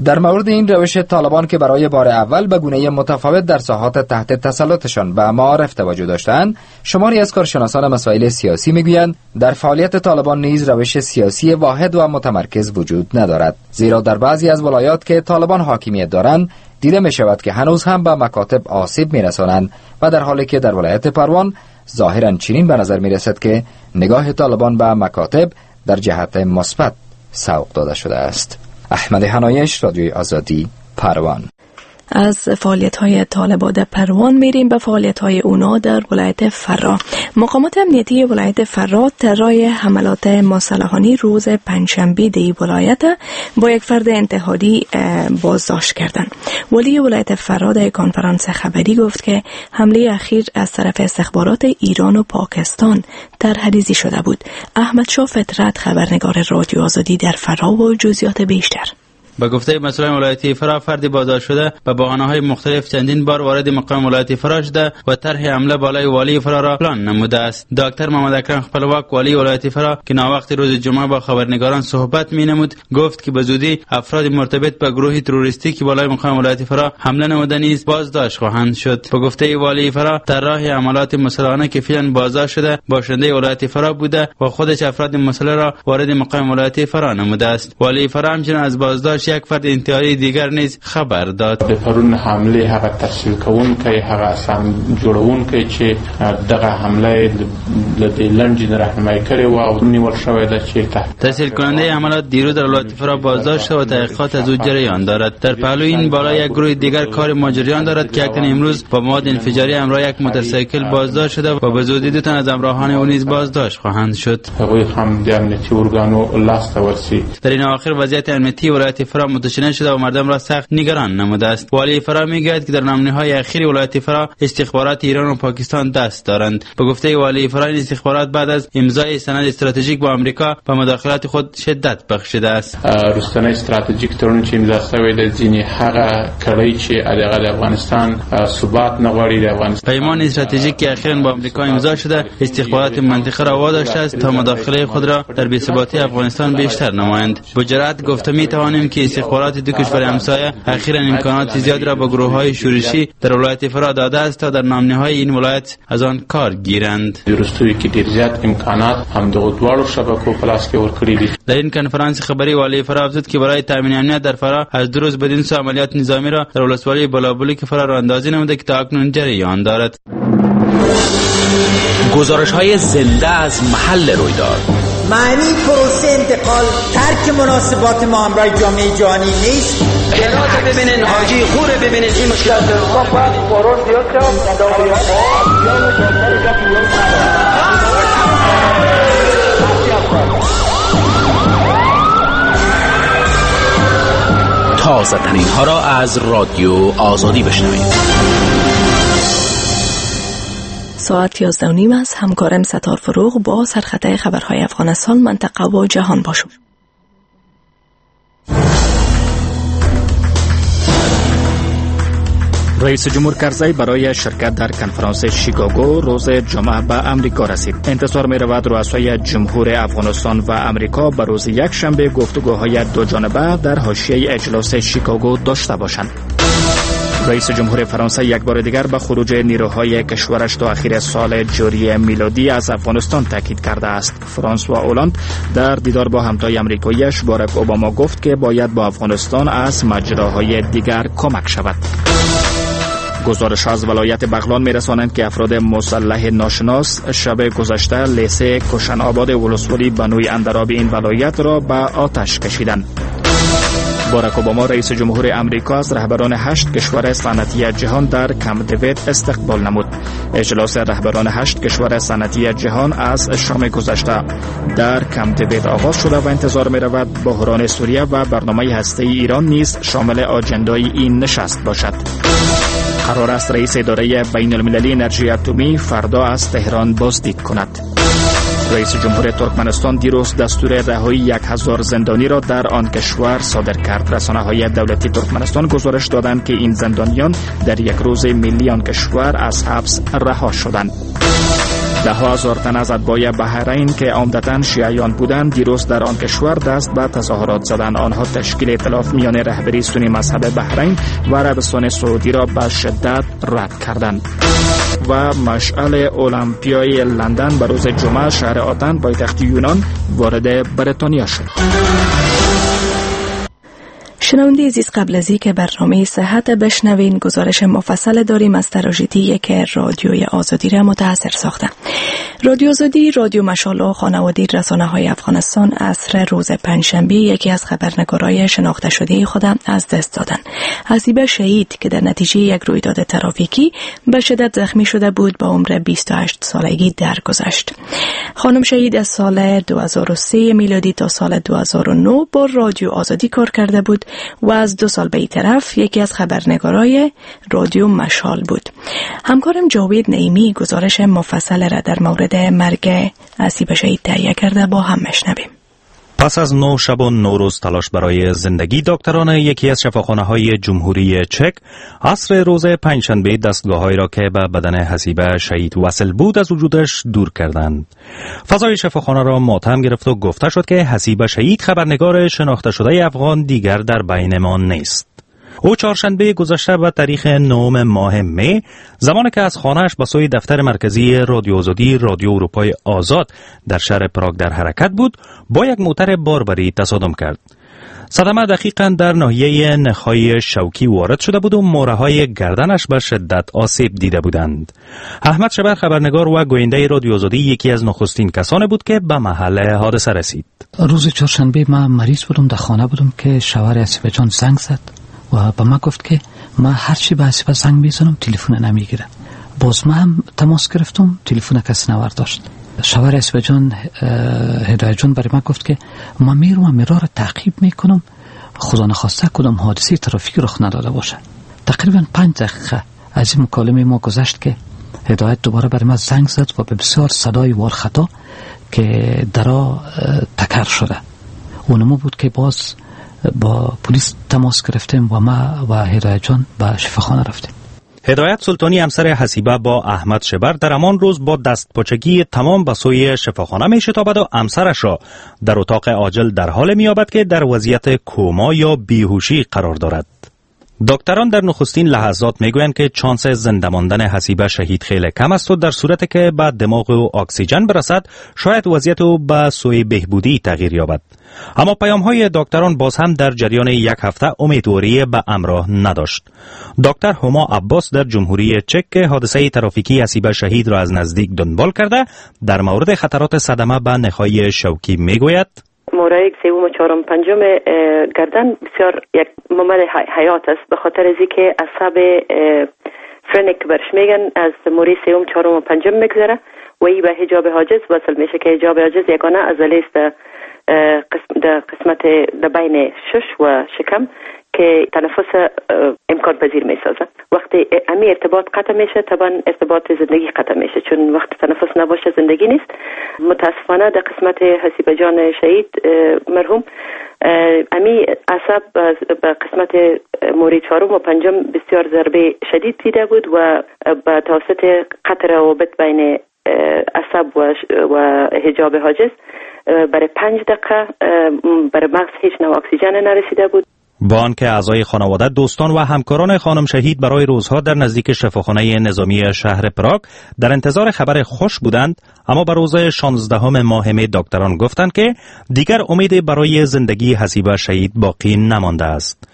S11: در مورد این روش طالبان که برای بار اول به گونه متفاوت در ساحات تحت تسلطشان به معارف توجه داشتند، شماری از کارشناسان مسائل سیاسی میگویند در فعالیت طالبان نیز روش سیاسی واحد و متمرکز وجود ندارد، زیرا در بعضی از ولایات که طالبان حاکمیت دارند دیده می شود که هنوز هم به مکاتب آسیب می رسانند و در حالی که در ولایت پروان ظاهرا چنین به نظر می رسد که نگاه طالبان به مکاتب در جهت مثبت سوق داده شده است. احمد هنایش، رادیوی آزادی، پروان.
S1: از فعالیت‌های طالبان در پروان میریم به فعالیت‌های اونا در ولایت فراه. مقامات امنیتی ولایت فراه طرح حملات مسلحانه روز پنجشنبه دی ولایت با یک فرد انتحاری بازداشت کردند. ولی ولایت فراه در کنفرانس خبری گفت که حمله اخیر از طرف استخبارات ایران و پاکستان طرح‌ریزی شده بود. احمد شاه فطرت، خبرنگار رادیو آزادی در فراه، و جزئیات بیشتر.
S13: به گفته مسئولان ولایتی فراه، فرد بازداشت شده به بهانه‌های مختلف چندین بار وارد مقام ولایتی فراه شده و طرح حمله بالای والی فراه را پلان نموده است. دکتر محمد اکرم خپلواک، والی ولایت فراه، که ناوقت روز جمعه با خبرنگاران صحبت می‌نمود، گفت که به زودی افراد مرتبط به گروه تروریستی که بالای مقام ولایت فراه حمله نموده نیز بازداشت خواهند شد. به گفته والی فراه، طراح حملات مسلحانه که فعلا بازداشت شده باشنده ولایت فراه بوده و خودش افراد مسلح را وارد مقام ولایت فراه نموده است. والی فراه همچنین از بازداشت یک فرد انتحاری دیگر نیز خبر داد.
S14: د پرون حمله هغه تشکیل کوونکی، هغه اسام جوړونکی چې دغه حمله له دې لنډې راهنمایي کړې وه او نیول شوی ده چې
S13: تسهیل کننده حملات دیروز در ولایت فراه بازداشت و تحقیقات از او جریان دارد. در پهلوی این بالا یک گروه دیگر کار ما جریان دارد که یک تن امروز با مواد انفجاری همراه یک موتورسیکل بازداشت شده و به زودی دو تن از همراهان او نیز بازداشت خواهند شد.
S14: هغوی هم د امنیتي ارګانو لاس ته ورسي.
S13: در این اواخر وضعیت امنیتی ولایت فراه متشنج شده و مردم را سخت نگران نموده است. والی فراه میگوید که در نامنی‌های اخیر ولایت فراه استخبارات ایران و پاکستان دست دارند. به گفته والی فراه، این استخبارات بعد از امضای سند استراتژیک با آمریکا به مداخلات خود شدت بخشیده است.
S14: وروستنی استراتژیک تړون چې امضا شوی دی، ځینې هغه کړۍ چې هغه د افغانستان ثبات نه غواړي د افغانستان
S13: پیمان استراتژیک که اخیراً با آمریکا امضا شده استخبارات منطقه را واداشته است تا مداخله خود را در بی‌ثباتی افغانستان بیشتر نمایند. با جرأت گفته می‌توانیم که استخبارات دو کشور همسایه اخیراً امکانات زیاد را به گروه‌های شورشی در ولایت فراه داده است تا در ناامنی‌های این ولایت از آن کار گیرند.
S14: وروستیو کې ډیر زیات امکانات هم دغو دواړو شبکو په لاس کې ورکړي دي.
S13: در این کنفرانس خبری والی فراه افزود که برای تامین امنیت در فراه از دو روز بدین سو عملیات نظامی را در ولسوالی بالابلوک فراه را اندازی نموده که تا اکنون جریان دارد.
S15: گزارش های زنده از محل رویداد.
S16: معنی پروسه انتقال ترک مناسبات ما همراه جامعه جهانی نیست.
S17: جنات ببینین، حاجی خوره ببینین، این مشکلات
S15: تازه ترین ها را از رادیو آزادی بشنوید.
S1: ساعت یازده و نیم است. همکارم ستار فروغ با سرخطه خبرهای افغانستان، منطقه و جهان باشم.
S2: رئیس جمهور کرزی برای شرکت در کنفرانس شیکاگو روز جمعه به امریکا رسید. انتظار می رود رؤسای جمهور افغانستان و امریکا به روز یکشنبه گفتگوهای دو جانبه در حاشیه اجلاس شیکاگو داشته باشند. رئیس جمهور فرانسه یک بار دیگر به خروج نیروهای کشورش تا اخیر سال جاری میلادی از افغانستان تاکید کرده است. فرانسوا اولاند در دیدار با همتای امریکاییش باراک اوباما گفت که باید با افغانستان از مجراهای دیگر کمک شود. گزارش از ولایت بغلان می‌رسانند که افراد مسلح ناشناس شب گذشته لیسه کشن آباد ولسوالی بنوی اندراب این ولایت را به آتش کشیدند. باراک اوباما رئیس جمهور امریکا از رهبران هشت کشور صنعتی جهان در کمپ دیوید استقبال نمود. اجلاس رهبران هشت کشور صنعتی جهان از شام گذشته در کمپ دیوید آغاز شده و انتظار می‌رود بحران سوریه و برنامه هسته‌ای ایران نیز شامل آجندای این نشست باشد. قرار است رئیس اداره بین المللی انرژی اتمی فردا از تهران بازدید کند. رئیس جمهور ترکمنستان دیروز دستور رهایی یک هزار زندانی را در آن کشور صادر کرد. رسانه‌های دولتی ترکمنستان گزارش دادند که این زندانیان در یک روز ملی آن کشور از حبس رها شدند. ده هزار تن از اتباع بحرین که عمدتاً شیعیان بودند دیروز در آن کشور دست به تظاهرات زدند. آنها تشکیل ائتلاف میان رهبری سنی مذهب بحرین و عربستان سعودی را به شدت رد کردند. و مشعل المپیای لندن به روز جمعه شهر آتن پایتخت یونان وارد بریتانیا شد.
S1: شنونده عزیز، قبل از اینکه برنامه صحت بشنوین گزارش مفصل داریم از تراژدی که رادیوی آزادی را متاثر ساخته. رادیو آزادی، رادیو مشال و خانواده رسانه های افغانستان عصر روز پنجشنبه یکی از خبرنگارای شناخته شده خود از دست دادن. حسیبه شهید که در نتیجه یک رویداد ترافیکی به شدت زخمی شده بود با عمر بیست و هشت سالگی درگذشت. خانم شهید از سال دو هزار و سه میلادی تا سال دو هزار و نه با رادیو آزادی کار کرده بود و از دو سال به این طرف یکی از خبرنگارای رادیو مشال بود. همکارم جاوید نعیمی گزارش مفصل را در مورد مرگ حسیبه شهید تهیه کرده، با هم مشنویم.
S5: پس از نه شب و نه روز تلاش برای زندگی، دکتران یکی از شفاخانه های جمهوری چک عصر روز پنجشنبه دستگاه‌هایی را که به بدن حسیبه شهید وصل بود از وجودش دور کردند. فضای شفاخانه را ماتم گرفت و گفته شد که حسیبه شهید خبرنگار شناخته شده افغان دیگر در بین ما نیست. او چهارشنبه گذشته به تاریخ نهم ماه می، زمانی که از خانه‌اش به سوی دفتر مرکزی رادیو آزادی رادیو اروپای آزاد در شهر پراگ در حرکت بود، با یک موتر باربری تصادم کرد. صدمه دقیقاً در ناحیه نخای شوکی وارد شده بود و موره‌های گردنش به شدت آسیب دیده بودند. احمد شبر، خبرنگار و گوینده رادیو آزادی، یکی از نخستین کسان بود که به محل حادثه رسید.
S18: روز چهارشنبه من مریض بودم، در خانه بودم که شوهر حسیبه جان زنگ زد و به من گفت که من هرچی به حسیبه زنگ میزنم تلفن نمیگیره. باز من هم تماس گرفتم، تلفن کسی نورداشت. شوهر حسیبه جان هدایت جان برای من گفت که من میروم میرا را تعقیب میکنم، خدا نخواسته کدام حادثه ترافیکی رخ نداده باشه. تقریبا پنج دقیقه از این مکالمه ما گذشت که هدایت دوباره برای من زنگ زد و به بسیار صدای وارخطا که درا تکر شده. اونمو بود که باز با پلیس تماس گرفتیم و ما و هدایت جان به شفاخانه رفتیم.
S5: هدایت سلطانی همسر حسیبه با احمد شبر در همان روز با دستپاچگی تمام به سوی شفاخانه می شتابد و همسرش را در اتاق عاجل در حال می یابد که در وضعیت کوما یا بیهوشی قرار دارد. دکتران در نخستین لحظات میگویند که چانس زنده ماندن حسیبه شهید خیلی کم است و در صورت که به دماغ او اکسیژن برسد شاید وضعیت او به سوی بهبودی تغییر یابد. اما پیام های دکتران باز هم در جریان یک هفته امیدواری به امراه نداشت. دکتر هما عباس در جمهوری چک که حادثه ترافیکی حسیبه شهید را از نزدیک دنبال کرده در مورد خطرات صدمه به نخای شوکی میگوید:
S19: مورای سوم و چهارم پنجم گردن بسیار یک ممد حیات است، به خاطر از اینکه عصب فرنک برش میگن از موری سوم چهارم و پنجم میگذره و ای به حجاب حاجز وصل میشه که حجاب حاجز یگانه عضله است در قسمت در بین شش و شکم که تنفس امکان پذیر میسازه. وقتی امی ارتباط قطع میشه طبعا ارتباط زندگی قطع میشه، چون وقت تنفس نباشه زندگی نیست. متاسفانه در قسمت حسیبه جان شهید مرحوم امی عصب به قسمت موری چهارم و پنجم بسیار ضربه شدید دیده بود و به توسط قطع روابط بین عصب و حجاب حاجز برای پنج دقیقه برای مغز هیچ نوع اکسیژن نرسیده بود.
S5: با آنکه اعضای خانواده، دوستان و همکاران خانم شهید برای روزها در نزدیک شفاخانه نظامی شهر پراگ در انتظار خبر خوش بودند، اما به روز شانزدهم ماه می دکتران گفتند که دیگر امید برای زندگی حسیبه شهید باقی نمانده است.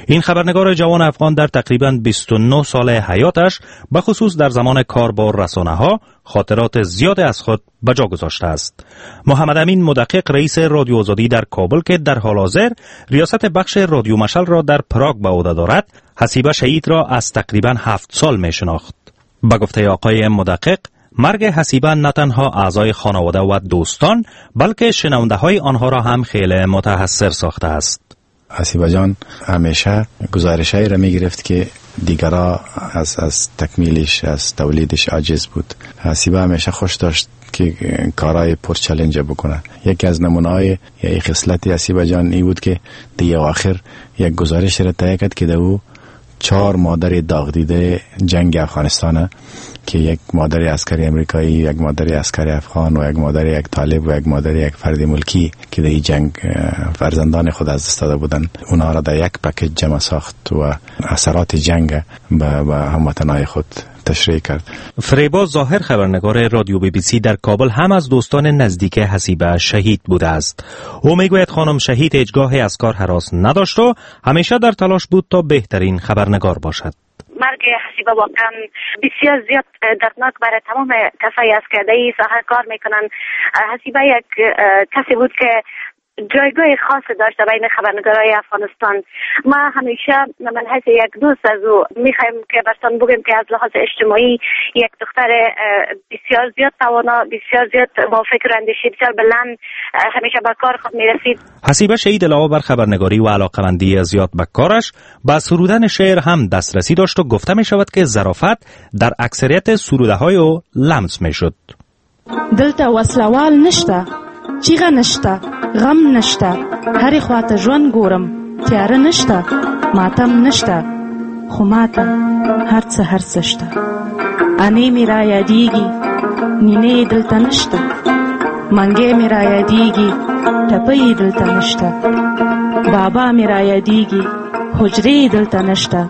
S5: این خبرنگار جوان افغان در تقریباً بیست و نه سال حیاتش، به خصوص در زمان کار با رسانه ها، خاطرات زیاد از خود به جا گذاشته است. محمد امین مدقق، رئیس رادیو آزادی در کابل که در حال حاضر ریاست بخش رادیو مشعل را در پراگ به عهده دارد، حسیبه شهید را از تقریباً هفت سال می شناخت. به گفته آقای مدقق، مرگ حسیبه نه تنها اعضای خانواده و دوستان، بلکه شنونده های آنها را هم خیلی متحسر ساخته است.
S4: حسیبه جان همیشه گزارش‌هایی را می‌گرفت که دیگرا از از تکمیلش، از تولیدش عاجز بود. حسیبه همیشه خوش داشت که کارهای پر چالش بکنه. یکی از نمونه‌های یا خصلت حسیبه جان ای بود که دیگه آخر یک گزارش را تهیه کرد که دو چهار مادر داغ دیده جنگ افغانستان، که یک مادر عسکری امریکایی، یک مادر عسکری افغان و یک مادر یک طالب و یک مادر یک فرد ملکی که در این جنگ فرزندان خود از دست داده بودند، اونها را در یک پکیج جمع ساخت و اثرات جنگ به هموطنای خود تشریح کرد.
S5: فریبا ظاهر، خبرنگار رادیو بی بی سی در کابل، هم از دوستان نزدیک حسیبه شهید بوده است. او میگوید خانم شهید هیچگاه از کار هراس نداشت و همیشه در تلاش بود تا بهترین خبرنگار باشد.
S20: مرگ حسیبه واقعا بسیار زیاد دردناک برای تمام کسایی است که در این ساحه کار میکنن. حسیبه یک کسی بود که جایگاه خاص داشت بین خبرنگارای افغانستان. ما همیشه من حیث یک دوست از او میخوایم که برتان بگیم که از لحاظ اجتماعی یک دختر بسیار زیاد توانا، بسیار زیاد با فکر و اندیشه بسیار بلند، همیشه به کار خود میرسید.
S5: حسیبه شهید علاوه بر خبرنگاری و علاقمندی زیاد به کارش، به سرودن شعر هم دسترسی داشت و گفته می شود که ظرافت در اکثریت سروده های او لمس می شد.
S21: دلته وسلوال نشته، چیغه نشته، غم نشته، هر خواته ژوند ګورم، تیاره نشته، ماتم نشته، خو ماته هر څه هر څه شته. انې مې را یادېږي، نینې دلته نشته، منګی مې را یادېږي، ټپۍ یې دلته نشته، بابا مې را یادېږي، حجرې یې دلته نشته.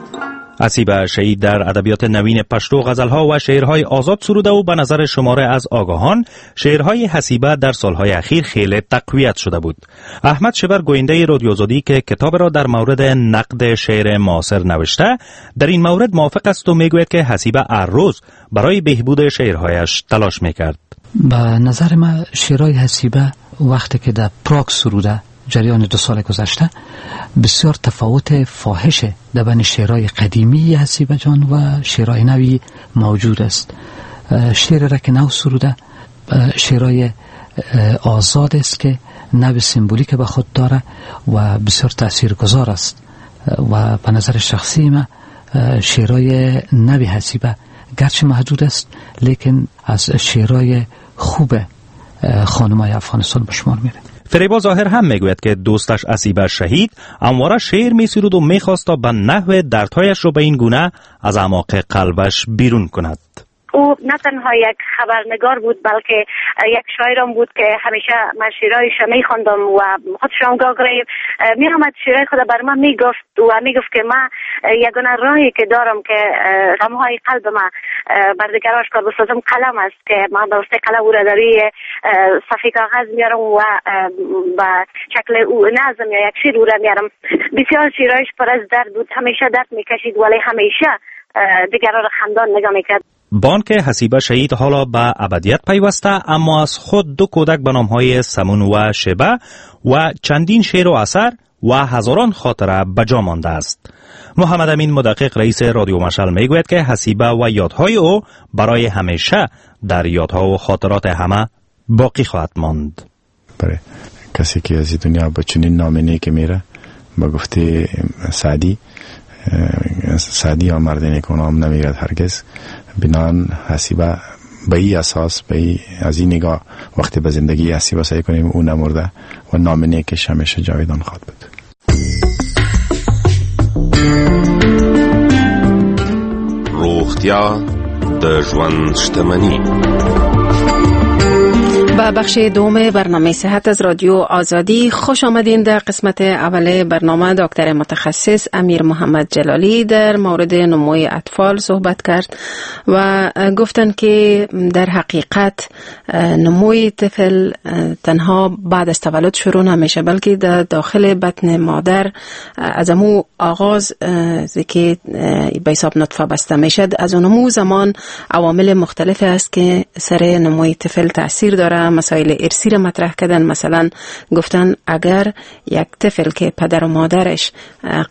S5: حسیبه شهید در ادبیات نوین پشتو غزلها و شعرهای آزاد سروده و به نظر شماره از آگاهان شعرهای حسیبه در سالهای اخیر خیلی تقویت شده بود. احمد شبر، گوینده رادیو آزادی که کتاب را در مورد نقد شعر معاصر نوشته، در این مورد موافق است و میگوید که حسیبه هر روز برای بهبود شعرهایش تلاش میکرد.
S18: به نظر من شعرهای حسیبه وقتی که در پراگ سروده، جریان دو سال گذشته، بسیار تفاوت فاحش در بین شعرهای قدیمی حسیبه جان و شعرهای نوی موجود است. شعر را که نو سروده، شعرهای آزاد است که نوع سمبولیک به خود داره و بسیار تاثیرگذار است و به نظر شخصی ما شعرهای نوی حسیبه گرچه محدود است، لیکن از شعرهای خوب خانمای افغانستان به شمار میره.
S5: فریبا ظاهر هم میگوید که دوستش حسیبه شهید همواره شعر میسرود و میخواست تا به نحو دردهایش را به این گونه از اعماق قلبش بیرون کند.
S20: او نه تنها یک خبرنگار بود بلکه یک شاعرم بود که همیشه من شعرهایش می خواندم و خودش هم گاهی می آمد شعرهای خود بر من می گفت و می گفت که من یگانه راهی که دارم که غمهای قلب من بر دیگر آشکار بسازم قلم است که من به واسطه قلم او را در روی صفحه کاغذ میارم و به شکل او نظم یا یک شعر او را میارم. بسیار شعرهایش پر از درد بود، همیشه درد میکشید ولی همیشه دیگران را خندان نگاه میکرد.
S5: بانک حسیبه شهید حالا به ابدیت پیوسته، اما از خود دو کودک به نامهای سمون و شبه و چندین شعر و اثر و هزاران خاطره به جا مانده است. محمد امین مدقق رئیس رادیو مشعل میگوید که حسیبه و یادهای او برای همیشه در یادها و خاطرات همه باقی خواهد ماند.
S4: برای کسی که از دنیا با چنین نام نیک میره، با گفته سعدی، سعدی یا مرد نیکونام نمیرد هرگز. بنان حسیبه به این اساس، به این از این نگاه وقتی به زندگی حسیبه سعی کنیم او نمرده و نام نیکش همیشه جاویدان خواهد بود.
S15: روغتیا د ژوند شتمنی.
S3: با بخش دوم برنامه صحت از رادیو آزادی خوش آمدین. در قسمت اول برنامه دکتر متخصص امیر محمد جلالی در مورد نموی اطفال صحبت کرد و گفتند که در حقیقت نموی طفل تنها بعد از تولد شروع نمیشه، بلکه در داخل بطن مادر از امو آغاز که به حساب نطفه بسته میشه، از اونمو زمان عوامل مختلف است که سر نموی طفل تاثیر داره. مسائل ارثی را مطرح کردن، مثلا گفتن اگر یک طفل که پدر و مادرش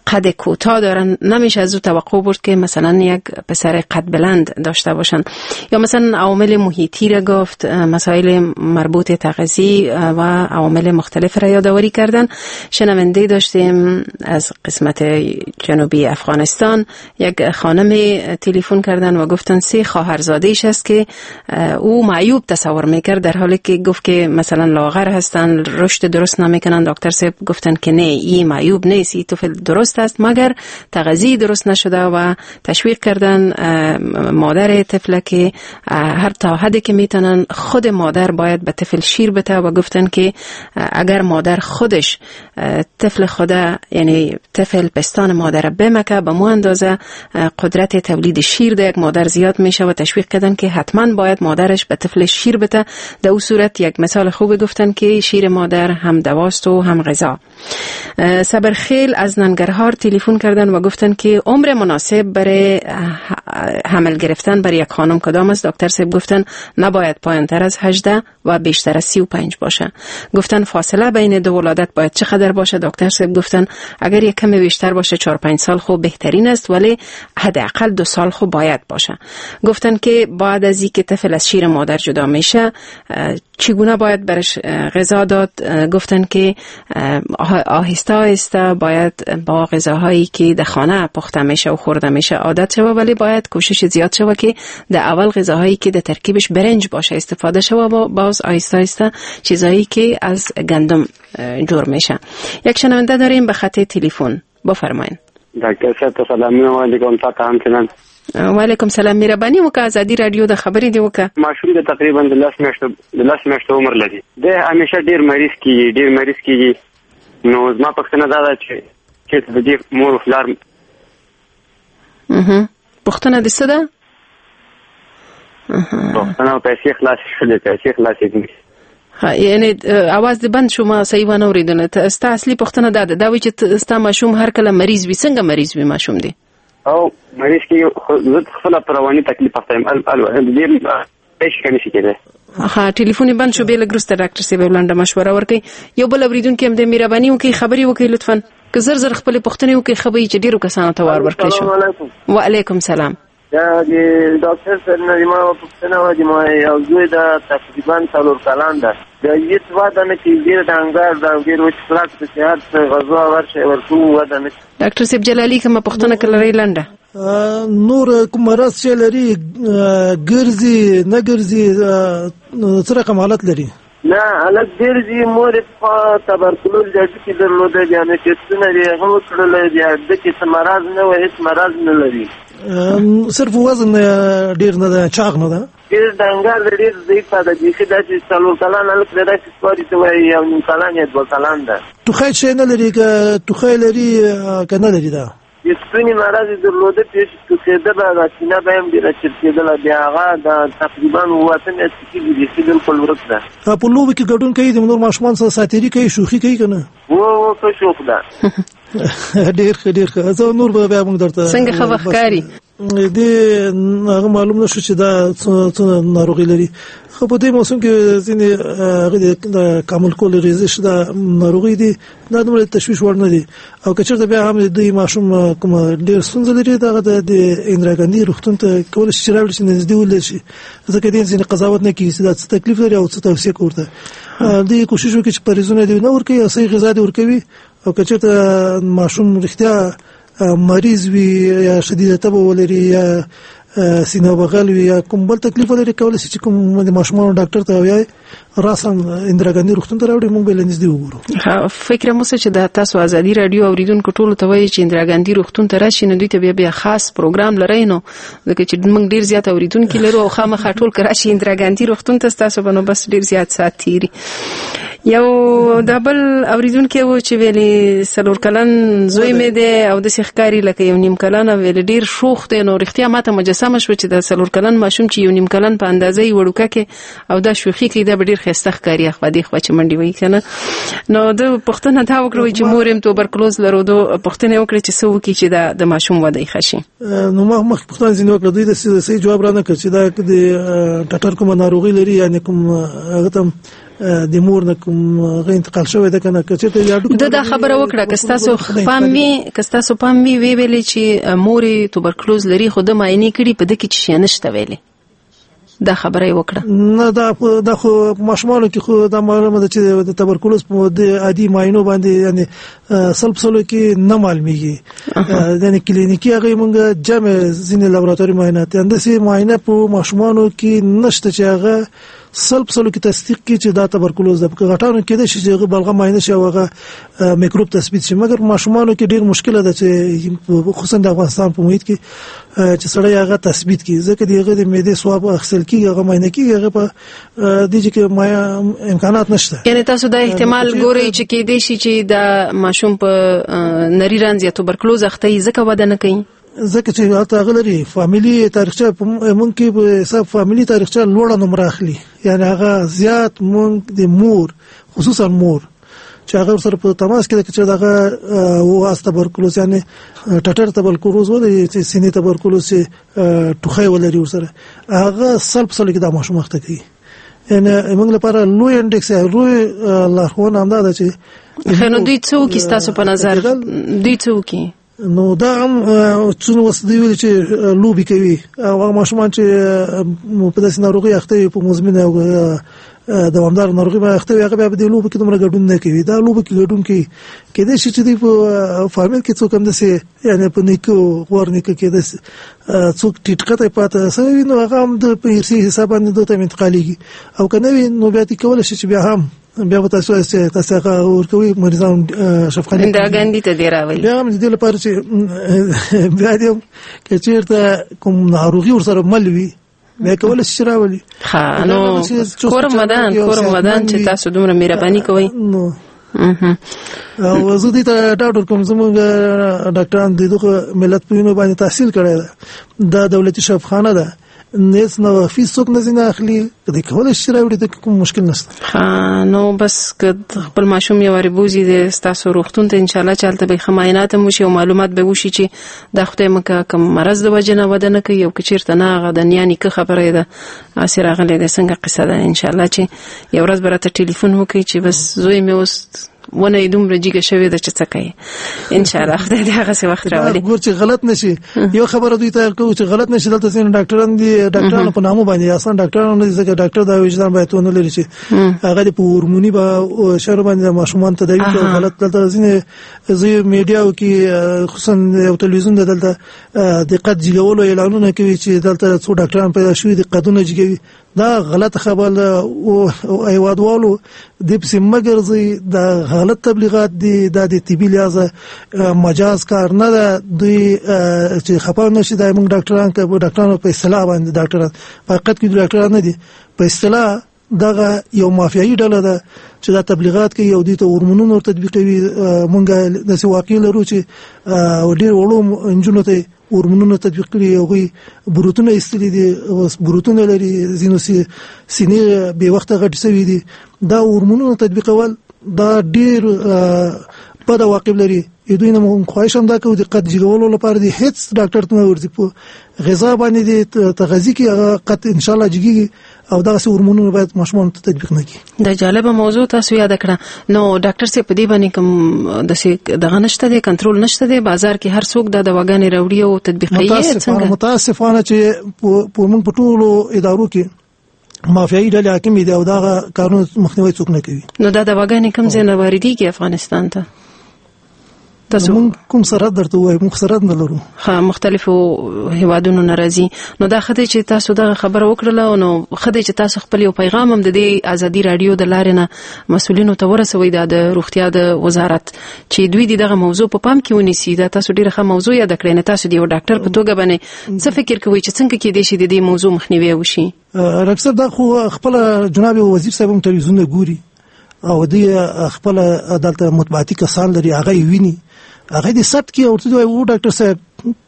S3: قد کوتاه دارن نمیشه از او توقع برد که مثلا یک پسر قد بلند داشته باشن، یا مثلا عوامل محیطی را گفت، مسائل مربوط تغذیه و عوامل مختلف را یادآوری کردن. شنونده داشتیم از قسمت جنوبی افغانستان، یک خانم تلفن کردن و گفتن سه خواهرزاده‌اش است که او معیوب تصور میکرد، در حالی که گفت که مثلا لاغر هستن، رشد درست نمیکنن. دکتر صاحب گفتن که نه، این معیوب نیست، این طفل درست است مگر تغذیه درست نشده و تشویق کردن مادر طفل که هر تا حدی که میتونن خود مادر باید به طفل شیر بده و گفتن که اگر مادر خودش طفل خود، یعنی طفل پستان مادر بمکه، به مو اندازه قدرت تولید شیر در یک مادر زیاد میشه و تشویق کردن که حتما باید مادرش به طفل شیر بده. در او صورت یک مثال خوب گفتن که شیر مادر هم دواست و هم غذا. صبرخیل از ننگرهار تلفن کردن و گفتن که عمر مناسب برای حمل گرفتن برای یک خانم کدام است؟ دکتر صاحب گفتن نباید پایین‌تر از هجده و بیشتر از سی و پنج باشه. گفتن فاصله بین دو ولادت باید چقدر باشه؟ دکتر صاحب گفتن اگر یک کمی بیشتر باشه چهار پنج سال خوب بهترین است، ولی حداقل دو سال خوب باید باشه. گفتن که بعد از اینکه طفل از شیر مادر جدا میشه چگونه باید برش غذا داد؟ گفتن که آهسته آهسته باید با غذاهایی که در خانه پخته میشه و خورده میشه عادت شوه، ولی باید کوشش زیاد شوه که در اول غذاهایی که در ترکیبش برنج باشه استفاده شوه و باز آهسته آهسته چیزایی که از گندم جور میشه. یک شنونده داریم به خط تلفن، بفرمایید.
S22: دکتر صاحب سلام علیکم. تا همچنان.
S3: وعلیکم سلام. مهرباني وکړه، ازادي رادیو د خبرې دی وکړه.
S22: ماشوم د تقریبا د لس میاشتو د لس میاشتو عمر لري، د همیشه ډیر مریض کیږي، ډیر مریض کیږي. نو زما پوښتنه دا ده چې چې د دې مور او پلار
S3: اها پوښتنه د څه ده؟
S22: پوښتنه پیسې خلاصې شولې، پیسې خلاصې دي.
S3: ها، یعنی اواز دې بند شو، ما صحیح ونه اورېدنه. ستا اصلي پوښتنه دا ده، دا وایي چې ستا ماشوم هر کله مریض وي، څنګه مریض وي ماشوم دی؟
S22: او مریض کې زه خپله په رواني تکلیف اخته یم، ډېر هېڅ نه شي کېدای.
S3: ها، ټلیفون یې بند شو. بې لږ وروسته ډاکټر صاحب لنډه مشوره ورکوي. یو بل اورېدونکی هم دی، مهرباني وکړئ خبرې وکړئ لطفاً، که زر زر خپلې پوښتنې وکړئ ښه به وي چې ډېرو کسانو ته وار ورکړی شو. وعلیکم سلام.
S23: دا د ډاکټر صاحب نه زما پوښتنه وه، د ما یو زوی ده تقریبا څلور کلن ده، د هېڅ وده نه کوي، ډېر ډنګر ده او ډېر وچ کلک د صحت غذا ورشي ورکوو وده نه کوي.
S3: ډاکټر صاحب جلالي کومه پوښتنه که لرئ لنډه؟
S24: نور کوم مرض چې لري، ګرځي نه ګرځي، څه رقم حالت لري؟
S23: نه هلک ډېر ځي، مور یې پخوا تبرکلوز د هډوکي درلوده، بیا مې ټسټونه یې هغه وکړل، بیا ده کې څه مرض نه و، هېڅ مرض نه لري.
S24: صرف وزن ډېر نه ده، چاغ نه ده،
S23: ډېر ډنګر دی، ډېر ضعیفه ده، بیخي داسې څلور کلن هلک دی، داسې ښکاري ته وایي یو نیم کلن یا دوه کلن ده.
S24: ټوخی شی نه لري که ټوخی لري که نه لري؟ ده
S23: د ستوني مرض یې درلوده، پېښ ټوخېده به، دا سینه به یې هم ډېره چرکېدله، بیا هغه دا تقریبا اووه اته میاشتې کېږي بیخي بالکل ورک ده.
S24: په لوبو کې ګډون کوي، د نور ماشومان سره ساتېري کوي، شوخي کوي که نه؟
S23: هو هو، ښه شوخ ده.
S24: ډېر ښه ډېر ښه. زه نور به بیا موږ درته
S3: څنګه ښه ښکاري
S24: دې هغه معلوم نه شو چې دا څه ناروغي لري. خو په دې موسم کې ځینې هغه د کامل کول ریزش دا ناروغي دي، دا دومره تشویش وړ نه دي. او که چېرته بیا هم د ماشوم کوم ډېر ستونزه لري، دغه د اندرا ګاندي روغتون ته کولی شي چې راوړل شي، نږدې ولید شي، ځکه دې ځینې قضاوت نه کېږي چې دا څه تکلیف لري او څه توصیه کوي ورته. دوی کوشش وکړي چې پرهیزونه دې نه ورکوي او صحیح غذا دې ورکوي. او که چېرته ماشوم رښتیا مریض وي یا شدیده تبه ولري یا سینه بغل وي یا کوم بل تکلیف ولري، کولی شي چې کوم د ماشومانو ډاکټر ته وایي راساً اندرا ګاندي روغتون ته راوړي، موږ به له نږدې وګورو.
S3: فکر مو څه چې دا تاسو ازادي راډیو اوریدونکو ټولو ته وایي چې اندرا ګاندي روغتون ته راشي، نو دوی ته بیا بیا خاص پروګرام لرئ، نو ځکه چې موږ ډیر زیات اوریدونکي لرو او خامخا ټول که راشي اندرا ګاندي روغتون ته ستاسو به نو بس ډیر زیات ساعت تېري. یو دا بل اوریدونکی و چې ویلي څلور کلن زوی مې دی او داسې ښکاري لکه یو نیم کلن، ویلي ډیر شوخ دی. نو رښتیا ماته مجسمه شوه چې دا څلور کلن ماشوم چې یو نیم کلن په اندازه یې وړوکه کې او دا شوخي کوي، دا به ډیر ښایسته ښکاري اخوا دې خوا چې منډې وهي که نه. نو ده پوښتنه دا وکړه چې مور یې هم توبرکلوز لرو، ده پوښتنه یې وکړه چې څه وکړي چې دا د ماشوم وده یې ښه شي.
S24: نو ما مخکې پوښتنه ځینې وکړه، دوی داسې صحیح جواب رانه کړ چې دا د ټټر کومه ناروغي لري، یعنې کوم هغه ته د مور نه کوم هغه انتقال شوی ده که نه. که چېرته
S3: ده دا خبره وکړه که ستاسو پام وي، که ستاسو پام وي ویې ویلې چې مور یې توبرکلوز لري، خو ده معاینې کړي په ده کې څه شی نشته ویلې، دا خبره یې وکړه.
S24: نه دا دا خو ماشومانو کې خو دا معلومه ده چې د تبرکلوز په د عادي معاینو باندې یعنی سل په سلو کې نه معلومیږي، یعنی کلینیکي هغه موږ جمع ځینې لابراتوري معاینات همداسې معاینه په ماشومانو کې نشته چې هغه سل په سلو کې تصدیق کړي چې دا تبرکلوز ده. په غټانو کې ده چې هغه بلغم معاینه شي او هغه میکروب تثبیت شي، مګر ماشومانو کې ډیر مشکل ده چې خصوصا د افغانستان په محیط کې چې سړی هغه تثبیت کړي، ځکه د هغه د معدې سواب اخیستل کېږي، هغه معاینه کېږي، هغه په دې چې امکانات نشته.
S3: یعنی تاسو دا احتمال ګورئ چې کېدای شي چې دا ماشوم په نري رنځ یا توبرکلوز اخته وي ځکه وده نه کوي؟
S24: ځکه چې هلته هغه لري فامیلي تاریخچه، مونږ کې په حساب فامیلي تاریخچه لوړه نمره اخلي، یعنی هغه زیات مونږ د مور خصوصا مور چې هغه سره په تماس کې ده چې دغه واس تبرکلوز یعنی ټټر تبرکلوز ولري چې سینې تبرکلوز چې ټوخی ولري ورسره هغه سل په سلو کې دا ماشوم اخته کوي. یعنی موږ لپاره لوی انډیکس لوی لارښوونه همدا ده چې
S3: نو دوی څه وکړي ستاسو په نظر؟ دوی څه وکړي؟
S24: نو دا هم څونه وس دی ویل چې لوبي کوي او هغه ماشومان چې په داسې ناروغي اخته وي په مزمنه او دوامدار ناروغي باندې اخته وي هغه بیا په دې لوبو کې دومره ګډون نه کوي. دا لوبو کې ګډون کوي کېدای شي چې دوی په فامیل کې څوک هم داسې یعنی په نیکه غور نیکه کې داسې څوک ټیټ قطع پاته سوی وي نو هغه هم د په ارثي حساب باندې دوی ته انتقالېږي، او که نه وي نو بیا دې کولی شي چې بیا هم بیا به تاسو چې تاسو هغه ورکوي مریضان شفقت
S3: اندرا ګاندي ته دی راولي.
S24: بیا هم د دې لپاره چې بیا دې که چېرته کوم ناروغي ورسره مل وي بیا کولی شي چې راولي.
S3: ښه نو کورم ودان کورم ودان چې تاسو دومره مهرباني کوئ.
S24: نو او زه دې ته ډاډ ورکوم زموږ ډاکټران د دغه ملت په وینو باندې تحصیل کړی ده، دا دولتي شفاخانه ده، هېڅ نه فیس څوک نه ځینې اخلي، که دی کولی شي راوړي د کوم مشکل نشته.
S3: ښه نو بس که خپل ماشوم یو وارې بوځي د ستاسو روغتون ته انشاءالله چې هلته به یې ښه معاینات هم وشي او معلومات به وشي چې دا خدای مه که کوم مرض د وجې نه وده نه کوي او که چېرته نه هغه د نیا نیکه خبره یې ده هسې راغلې ده څنګه قصه ده. انشاءالله چې یو ورځ به راته ټلیفون وکړي چې بس زوی مې اوس ونه یې دومره جګه شوې ده چې څه کوي. انشاءالله خدای دې هغسې وخت راولي.
S24: ګور چې غلط نشي، یو خبره دوی ته کوو چې غلط نشي. دلته ځینې ډاکټران دي ډاکټرانو په نامو باندې اسان ډاکټران نه دي، ځکه ډاکټر دا وجدان باید ونه لري چې هغه په هورموني به شرو باندې ماشومان تداوي کوي غلط. دلته ځینې زی میډیاو کې خصوصا یو تلویزیون ده دلته د قد جګولو اعلانونه کوي چې دلته څو ډاکټران پیدا شوي دي قدونه جګوي. دا غلط خبر ده او هیوادوالو دې پسې مه ګرځئ، دا غلط تبلیغات دي، دا د طبي لحاظه مجاز کار نه ده. دوی چې خپه نه شي، دا موږ ډاکټران که ډاکټرانو په اصطلاح باندې ډاکټران په حقیقت کې ډاکټران نه دي، په اصطلاح دغه یو مافیایي ډله ده چې دا تبلیغات کوي او دوی ته هورمونونه ور تطبیقوي. موږ داسې واقع لرو چې ډېر وړو نجونو ته هورمونونه تطبیق کړي، هغوی بروتونه ایستلي دي، اوس بروتونه لري، ځینو سینې بې وخته غټې شوې دي. دا هورمونونه تطبیقول دا ډېر بد عواقب لري. دوی نه موږ خواهش هم دا کوو د قد جګولو لپاره دي هیڅ ډاکټر ته نه ورځي، په غذا باندې دي تغذیه کې هغه قد ان شاء الله جګیږي او دغسې هورمونونه باید ماشومانو ته تطبیق نه کړي.
S3: دا جالبه موضوع تاسو یاده کړه. نو ډاکټر صاحب په دې باندې کوم داسې دغه نشته دی، کنټرول نشته دی، بازار کې هر څوک دا دواګانې راوړي او تطبیقوي؟
S24: څنګه؟ متاسفانه چې په موږ په ټولو ادارو کې مافیایي ډلې حاکمې دي او دغه کارونه مخنیوی څوک نه کوي.
S3: نو دا دواګانې کوم ځای نه واردېږي افغانستان ته؟ تاسو
S24: موږ کوم سرحد درته وایو، موږ سرحد نه لرو.
S3: ها، مختلفو هیوادونو نه راځي. نو دا ښه دی چې تاسو دغه خبره وکړله، نو ښه دی چې تاسو خپل یو پیغام هم د دې ازادي راډیو د لارې نه مسؤلینو ته ورسوئ، دا د روغتیا د وزارت، چې دوی دې دغه موضوع په پام کې ونیسي. دا تاسو ډېره ښه موضوع یاده کړې. نه تاسو د یو ډاکټر په توګه باندې څه فکر کوئ چې څنګه کېدای شي د دې موضوع مخنیوی وشي؟
S24: ډاکټر صاحب دا خو خپله جناب وزیر صاحب هم تلویزیون ګوري او دوی خپل دلته مطبوعاتي کسان لري، هغه یې ویني، هغه دې ثبت کړي او ورته وایي و ډاکټر صاحب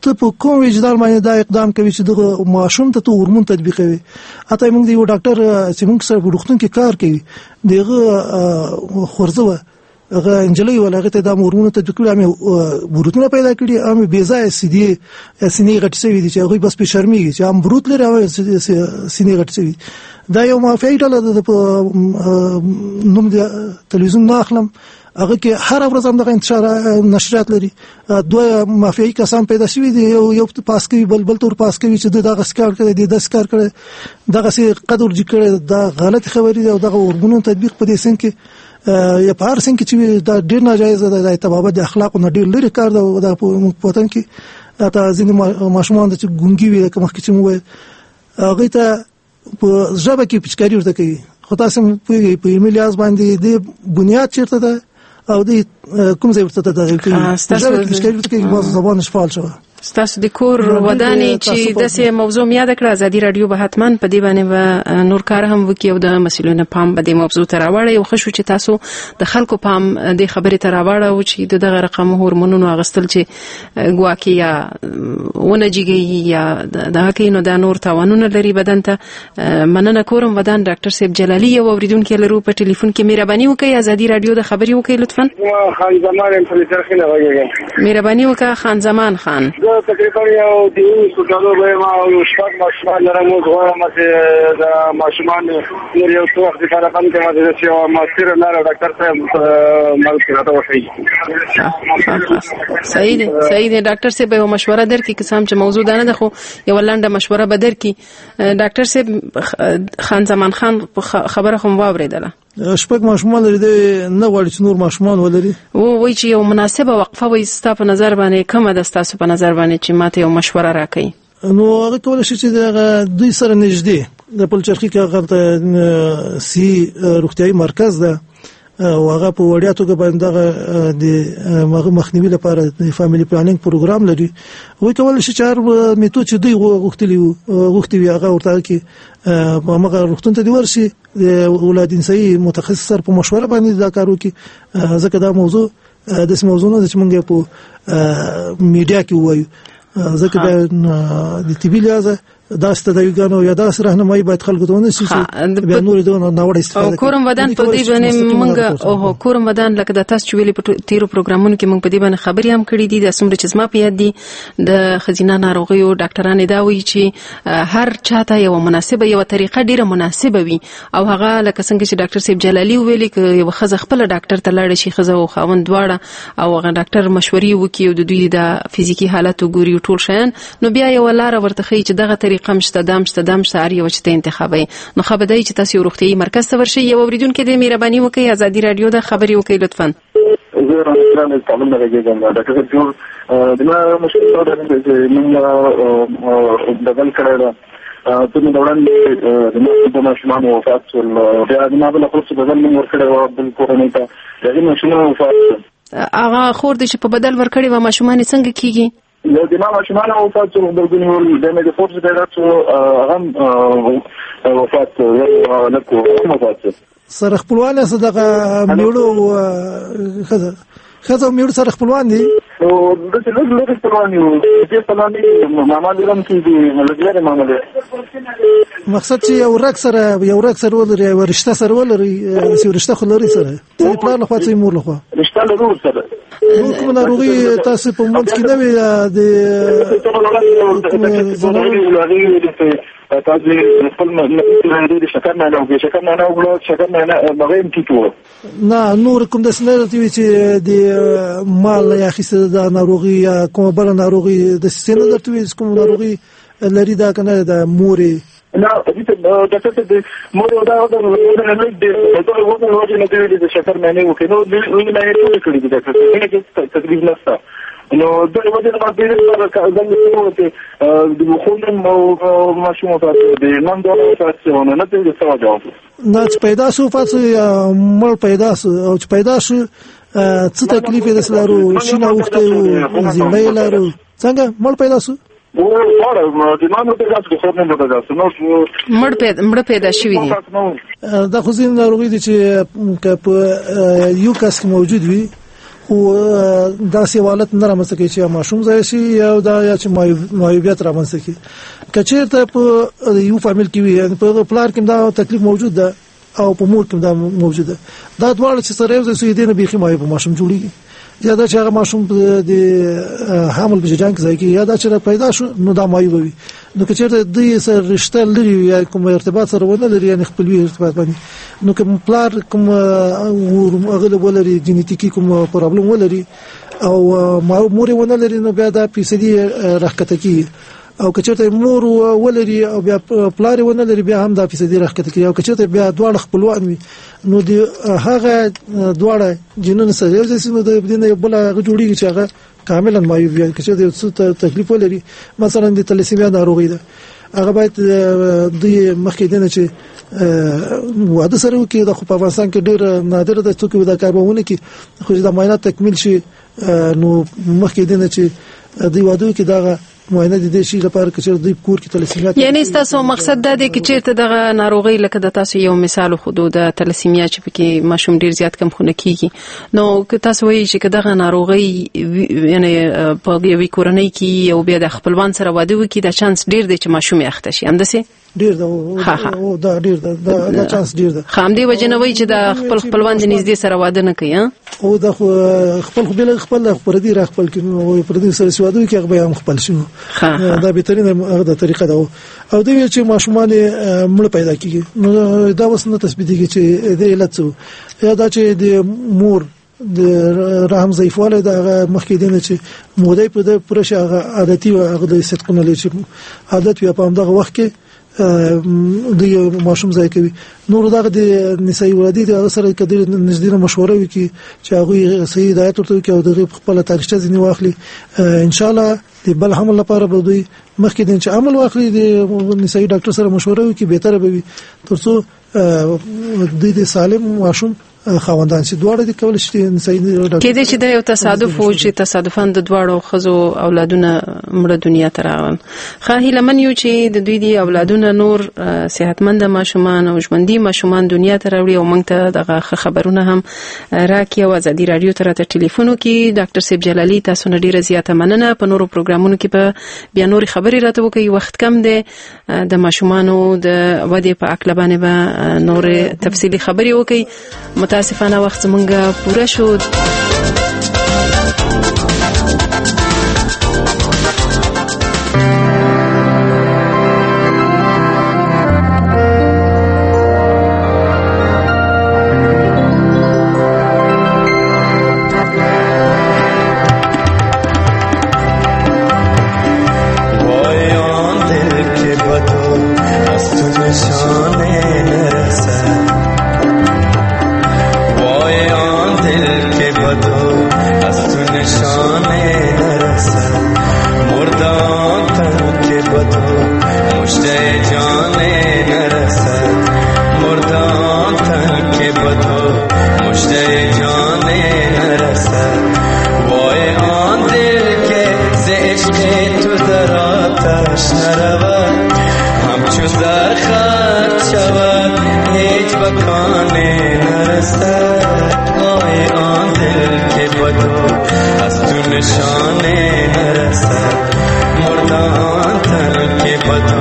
S24: ته په کوم وجدان باندې دا اقدام کوي چې دغه ماشوم ته ته هورمون تطبیقوي؟ حتی موږ د یو ډاکټر چې موږ سره په روغتون کې کار کوي، دغه خورزه وه، هغه نجلۍ وه، هغې ته دا هورمونونه تطبیق کړي، هم یې بروتونه پیدا کړي، هم یې بې ځایه سیدې سینې غټې شوې دي چې هغوی بس پرې شرمېږي چې هم بروت لري هم سینې غټې شوې. دا یو مافیایي ډله ده، په نوم د تلویزیون نه اخلم، هغه کې هره ورځ هم دغه انتشار نشرات لري. دوه مافیایي کسان پیدا شوي دي، یو یو پاس کوي، بل بل تور پاس کوي چې دغه کار کړی دی، داسې کار کړی، دغسې قد ورجګ کړی. دا غلط خبرې دي او دغه هورمونونو تطبیق په دې سن کې یا په هر سن کې چې دا ډېر ناجایز ده، د طبابت د اخلاقو نه ډېر لرې کار ده. دا په وطن کې حتی ځینې ماشومان چې ګونګي وي، لکه مخکې چې مو وویل، هغوی ته په ژبه کې پچکاري ورته کوي. خو تاسو هم پوهېږئ په علمي لحاظ باندې د بنیاد چېرته ده او د کوم ځای ورته تداوي کوي. ژبه کې پچکاري ورته کوي، باز زبان فعال شوه.
S3: ستاسو د کور ودانې چې داسې موضوع مې یاده کړه، ازادي راډیو به حتما په دې باندې به نور کار هم وکړي او د مسؤلینو پام به دې موضوع ته راوړي. او ښه شو چې تاسو د خلکو پام دې خبرې ته راوړاو چې د دغه رقم هورمونونو اخیستل چې ګواکې یا ونه جګوي یا دغه کوي، نو دا نور تاوانونه لري بدن ته. مننه کورم ودان ډاکټر صاحب جلالی. یو اورېدونکی لرو په ټلیفون کې، مهرباني وکړئ ازادي راډیو د خبرې وکړئ لطفا.
S6: خان زمان یم، په چرخي نه غږېږم.
S3: مهرباني وکړه خان زمان خان.
S6: تقریبا یو دیوولسو کالو به یم او یو شپږ ماشومان لرم. اوس غواړم چې د ماشومان نور یو څه وخت لپاره بند کړم، چې داسې یوه موثره لاره ډاکټر صاحب مرسته راته وښیي.
S3: صحیح دی، صحیح دی ډاکټر صاحب، یوه مشوره درکړي، که څه هم چې موضوع دا نه ده خو یوه لنډه مشوره به درکړي. ډاکټر صاحب خان زمان خان خبره خو مو واورېدله.
S24: شپږ ماشومان لري، دی نه غواړي چې نور ماشومان ولري.
S3: و وایي چې یو مناسبه وقفه وایي ستا په نظر باندې کومه ده، ستاسو په نظر باندې چې ماته یو مشوره راکړئ؟
S24: نو هغه کولی شي چې دغه دوی سره نږدې د پلچرخي کې هغه سي روغتیایي مرکز ده او هغه په وړیا توګه باندې دغه د هغه مخنیوي لپاره د family planning پروګرام لري. وایي کولی شي چې هر میتود چې دوی غوښتلي غوښتي وي هغه ورته کې هغه روغتون ته دې ورشي، د اولاد نسايي متخصص سره په مشوره باندې دا کار وکړي، ځکه دا موضوع داسې موضوع نه ده چې موږ یې په میډیا کې ووایو، ځکه د طبي لحاظه داسې تداویګانو یا داسې راهنمایي باید خلکو ته ونه شي چې بیا نور دې ناوړه استفاده کوي.
S3: کورم ودان په دې باندې موږ او کورم ودان لکه د تاسو چې ویلي په تیرو پروګرامونو کې موږ په دې باندې خبرې هم کړې دي. د څومره چې زما په یاد دي د ښځینه ناروغیو ډاکټران دا وایي چې هر چاته یوه مناسبه یوه طریقه ډیره مناسبه وي، او هغه لکه څنګه چې ډاکټر صاحب جلالی ویلي که یوه ښځه خپله ډاکټر ته لاړه شي، ښځه او خاوند دواړه، او هغه ډاکټر مشورې وکړي او د دوی د فزیکي حالت وګوري ټول شیان، نو بیا یوه لاره ورته ښیي چې دغه طریقه هم شته، دام شته، دام شته، هر یوه چې ته انتخابوي. نو ښه به دا وي چې تاسو یو روغتیایي مرکز ته ورشئ. یو اورېدونکی دی، مهرباني وکړئ ازادي راډیو ده، خبرې وکړئ لطفا.
S6: زه رحمان کابل نه غږېږم. ډاکټر صاحب جوړ، زما مشکل دا دی چې موږ بدل کړی ده، څه موده وړاندې زما دوه ماشومان وفات شول. بیا زما بله خور چې بدل مې ورکړی وه بل کورنۍ ته، د هغې ماشومان وفات شول.
S3: هغه خور دې چې په بدل ورکړې وه ماشومان یې څنګه کېږي؟
S6: یو د ما ماشومان وفات شول، غبرګوني ول. بیا مې د خور چې پیدا شو هغه هم وفات شو، یو هلک و هم وفات شو.
S24: سره خپلوان یاست؟ دغه مېړه او ښځه ښځه او مېړه سره خپلوان دي؟
S6: نو داسې لږ لږ خپلوان یو، دې خپلوان دي، ماما دې هم کېږي، لږ لرې ماما دی.
S24: مقصد چې یو رګ سره یو رګ سره ولري، یوه رشته سره ولري، داسې یو رشته خو لري سره، څه د پلار لخوا څه د مور لخوا
S6: رشته لرو سره.
S24: نور کومه ناروغي تاسو په منځ کې نه وي؟ د
S6: تاسو خپل د شکر نه نه شکر نه نه وګړه شکر نه نه هغه هم ټیټ و.
S24: نه نور کوم داسې نه راته وي چې د مال یا اخیستې دا ناروغي یا کومه بله ناروغي داسې څه نه درته وي چې کومه ناروغي لري دا که نه د مورې؟
S6: نه ډاکټر صاحب د مور دا د دغه وزن وجې نه دی د شکر معنی وکړي، نو وینې معنی ټولې کړې دي ډاکټر صاحب، وینې کې تکلیف نشته. نو دغه وجې نه ما ډېر زنګ وواهه چې د خور ماشوم وفات شو، د نن دواړه وفات شو، نو نه پوهېږم څه وجه وه.
S24: نه چې پیدا شو وفات شو یا مړ پیدا شو، او چې پیدا شو څه تکلیف یې داسې لرو؟ شین اوښتی و، زیړی یې لرو، څنګه مړ پیدا شو؟
S3: مړ پیدا شوي دي.
S24: دا خو ځینې ناروغۍ دي چې که په یو کس کې موجود وي خو داسې حالت نه رامنځته کوي چې ماشوم ضایع شي یا دا یا چې معیوبیت رامنځته کړي. که چېرته په یو فامیل کې وي، یعنې په پلار کې دا تکلیف موجود ده او په مور کې دا موجود ده، دا دواړه چې سره یو ځای شي دې نه بیخي معیوب ماشوم جوړیږي. یا دا چې هغه ماشوم د حمل په جریان کې ځای کې یا دا چې پیدا شو نو دا معیوب وي. نو که چېرته دوی سره رشته لري یا کوم ارتباط سره ونه لري، یعنې خپلوي ارتباط باندې، نو کوم پلار کوم هغه ولري جنتیکي کوم پرابلم ولري او مور یې ونه لري، نو بیا دا فیصدي راښکته کېږي. او که چېرته مور ولري او بیا پلار یې ونه لري، بیا هم دا فیصدي راښکته کېږي. او که چېرته بیا دواړه خپلوان وي، نو د هغه دواړه جینونه سره یو ځای شي، نو د دې نه یو بله هغه جوړېږي چې هغه کاملا معیوب وي. که چېرته یو څه تکلیف ولري، مثلا د تلسیمیا ناروغي ده، هغه باید دوی مخکې دې نه چې واده سره وکړي. دا خو په افغانستان کې ډېر نادره ده څوک دا کار به ونه کړي، خو چې دا معاینات تکمیل شي نو مخکې دې نه چې دوی واده وکړي دغه معاینه د دې شي لپاره که چېرته دوی کور کې تلسیمیا.
S3: یعنی ستاسو مقصد دا دی که چېرته دغه ناروغي لکه د تاسو یو مثال وښودو د تلسیمیا چې پکې ماشوم ډیر زیات کم خونه کیږي، نو که تاسو وایئ چې که دغه ناروغي یعنی په یوې کورنۍ کې یو بیا د خپلوان سره واده وکړي، دا چانس ډیر دی چې ماشوم یې اخته شي، همداسې؟
S24: ډیر ده، او دا ډیر ده، دا چانس ډیر ده.
S3: ښه، همدې وجې نه وایي چې د خپل خپلوان د نږدې سره واده نه کوي؟
S24: او دا خو خپل خو بل خپل پردي را خپل کړي، نو پردي سره چې واده وکړي هغه به هم خپل شي. دا بهترینه هغه د طریقه ده. او دوی چې ماشومان مړ پیدا کیږي، نو دا اوس نه تثبیتیږي چې د علت څه، یا دا چې د مور د رحم ضعیفوالی د هغه مخکې دی نه چې موده په د پوره شي، هغه عادتي هغه د صدقونه لري چې عادت وي په همدغه وخت کې د ماشوم ځای کوي. نور دغه د نسایي ولادي د هغه سره که ډېر نږدې نه مشوره وکړي چې هغوی صحیح هدایت ورته وکړي او د هغې په خپله تاریخچه ځینې واخلي، انشاءالله د بل حمل لپاره به دوی مخکې دی چې عمل واخلي د نسایي ډاکټر سره مشوره وکړي، بهتره به وي ترڅو دوی د سالم ماشوم خاوندان شي. دواړه دې کول شي نسایي ډاکټر.
S3: کېدای شي دا یو تصادف و چې تصادفاً د دواړو ښځو اولادونه مړه دنیا ته راغلل. ښه، هیله من یو چې د دوی دي اولادونه نور صحتمند ماشومان او ژوندي ماشومان دنیا ته راوړي او موږ ته دغه ښه خبرونه هم راکړي او ازادي راډیو ته راته ټلیفون وکړي. ډاکټر صاحب جلالی، تاسو نه ډېره زیاته مننه. په نورو پروګرامونو کې به بیا نورې خبرې راته وکړئ، وخت کم دی، د ماشومانو د ودې په هکله باندې به نورې تفصیلي خبرې وکړئ. متاسفانه وخت زمونږ پوره شو.
S7: وای آن دل که بدو زر خرج شود هیچ بکانه نرسد. آی آن دل که بدو از تو نشانه نرسد، مرده آن تن که بدو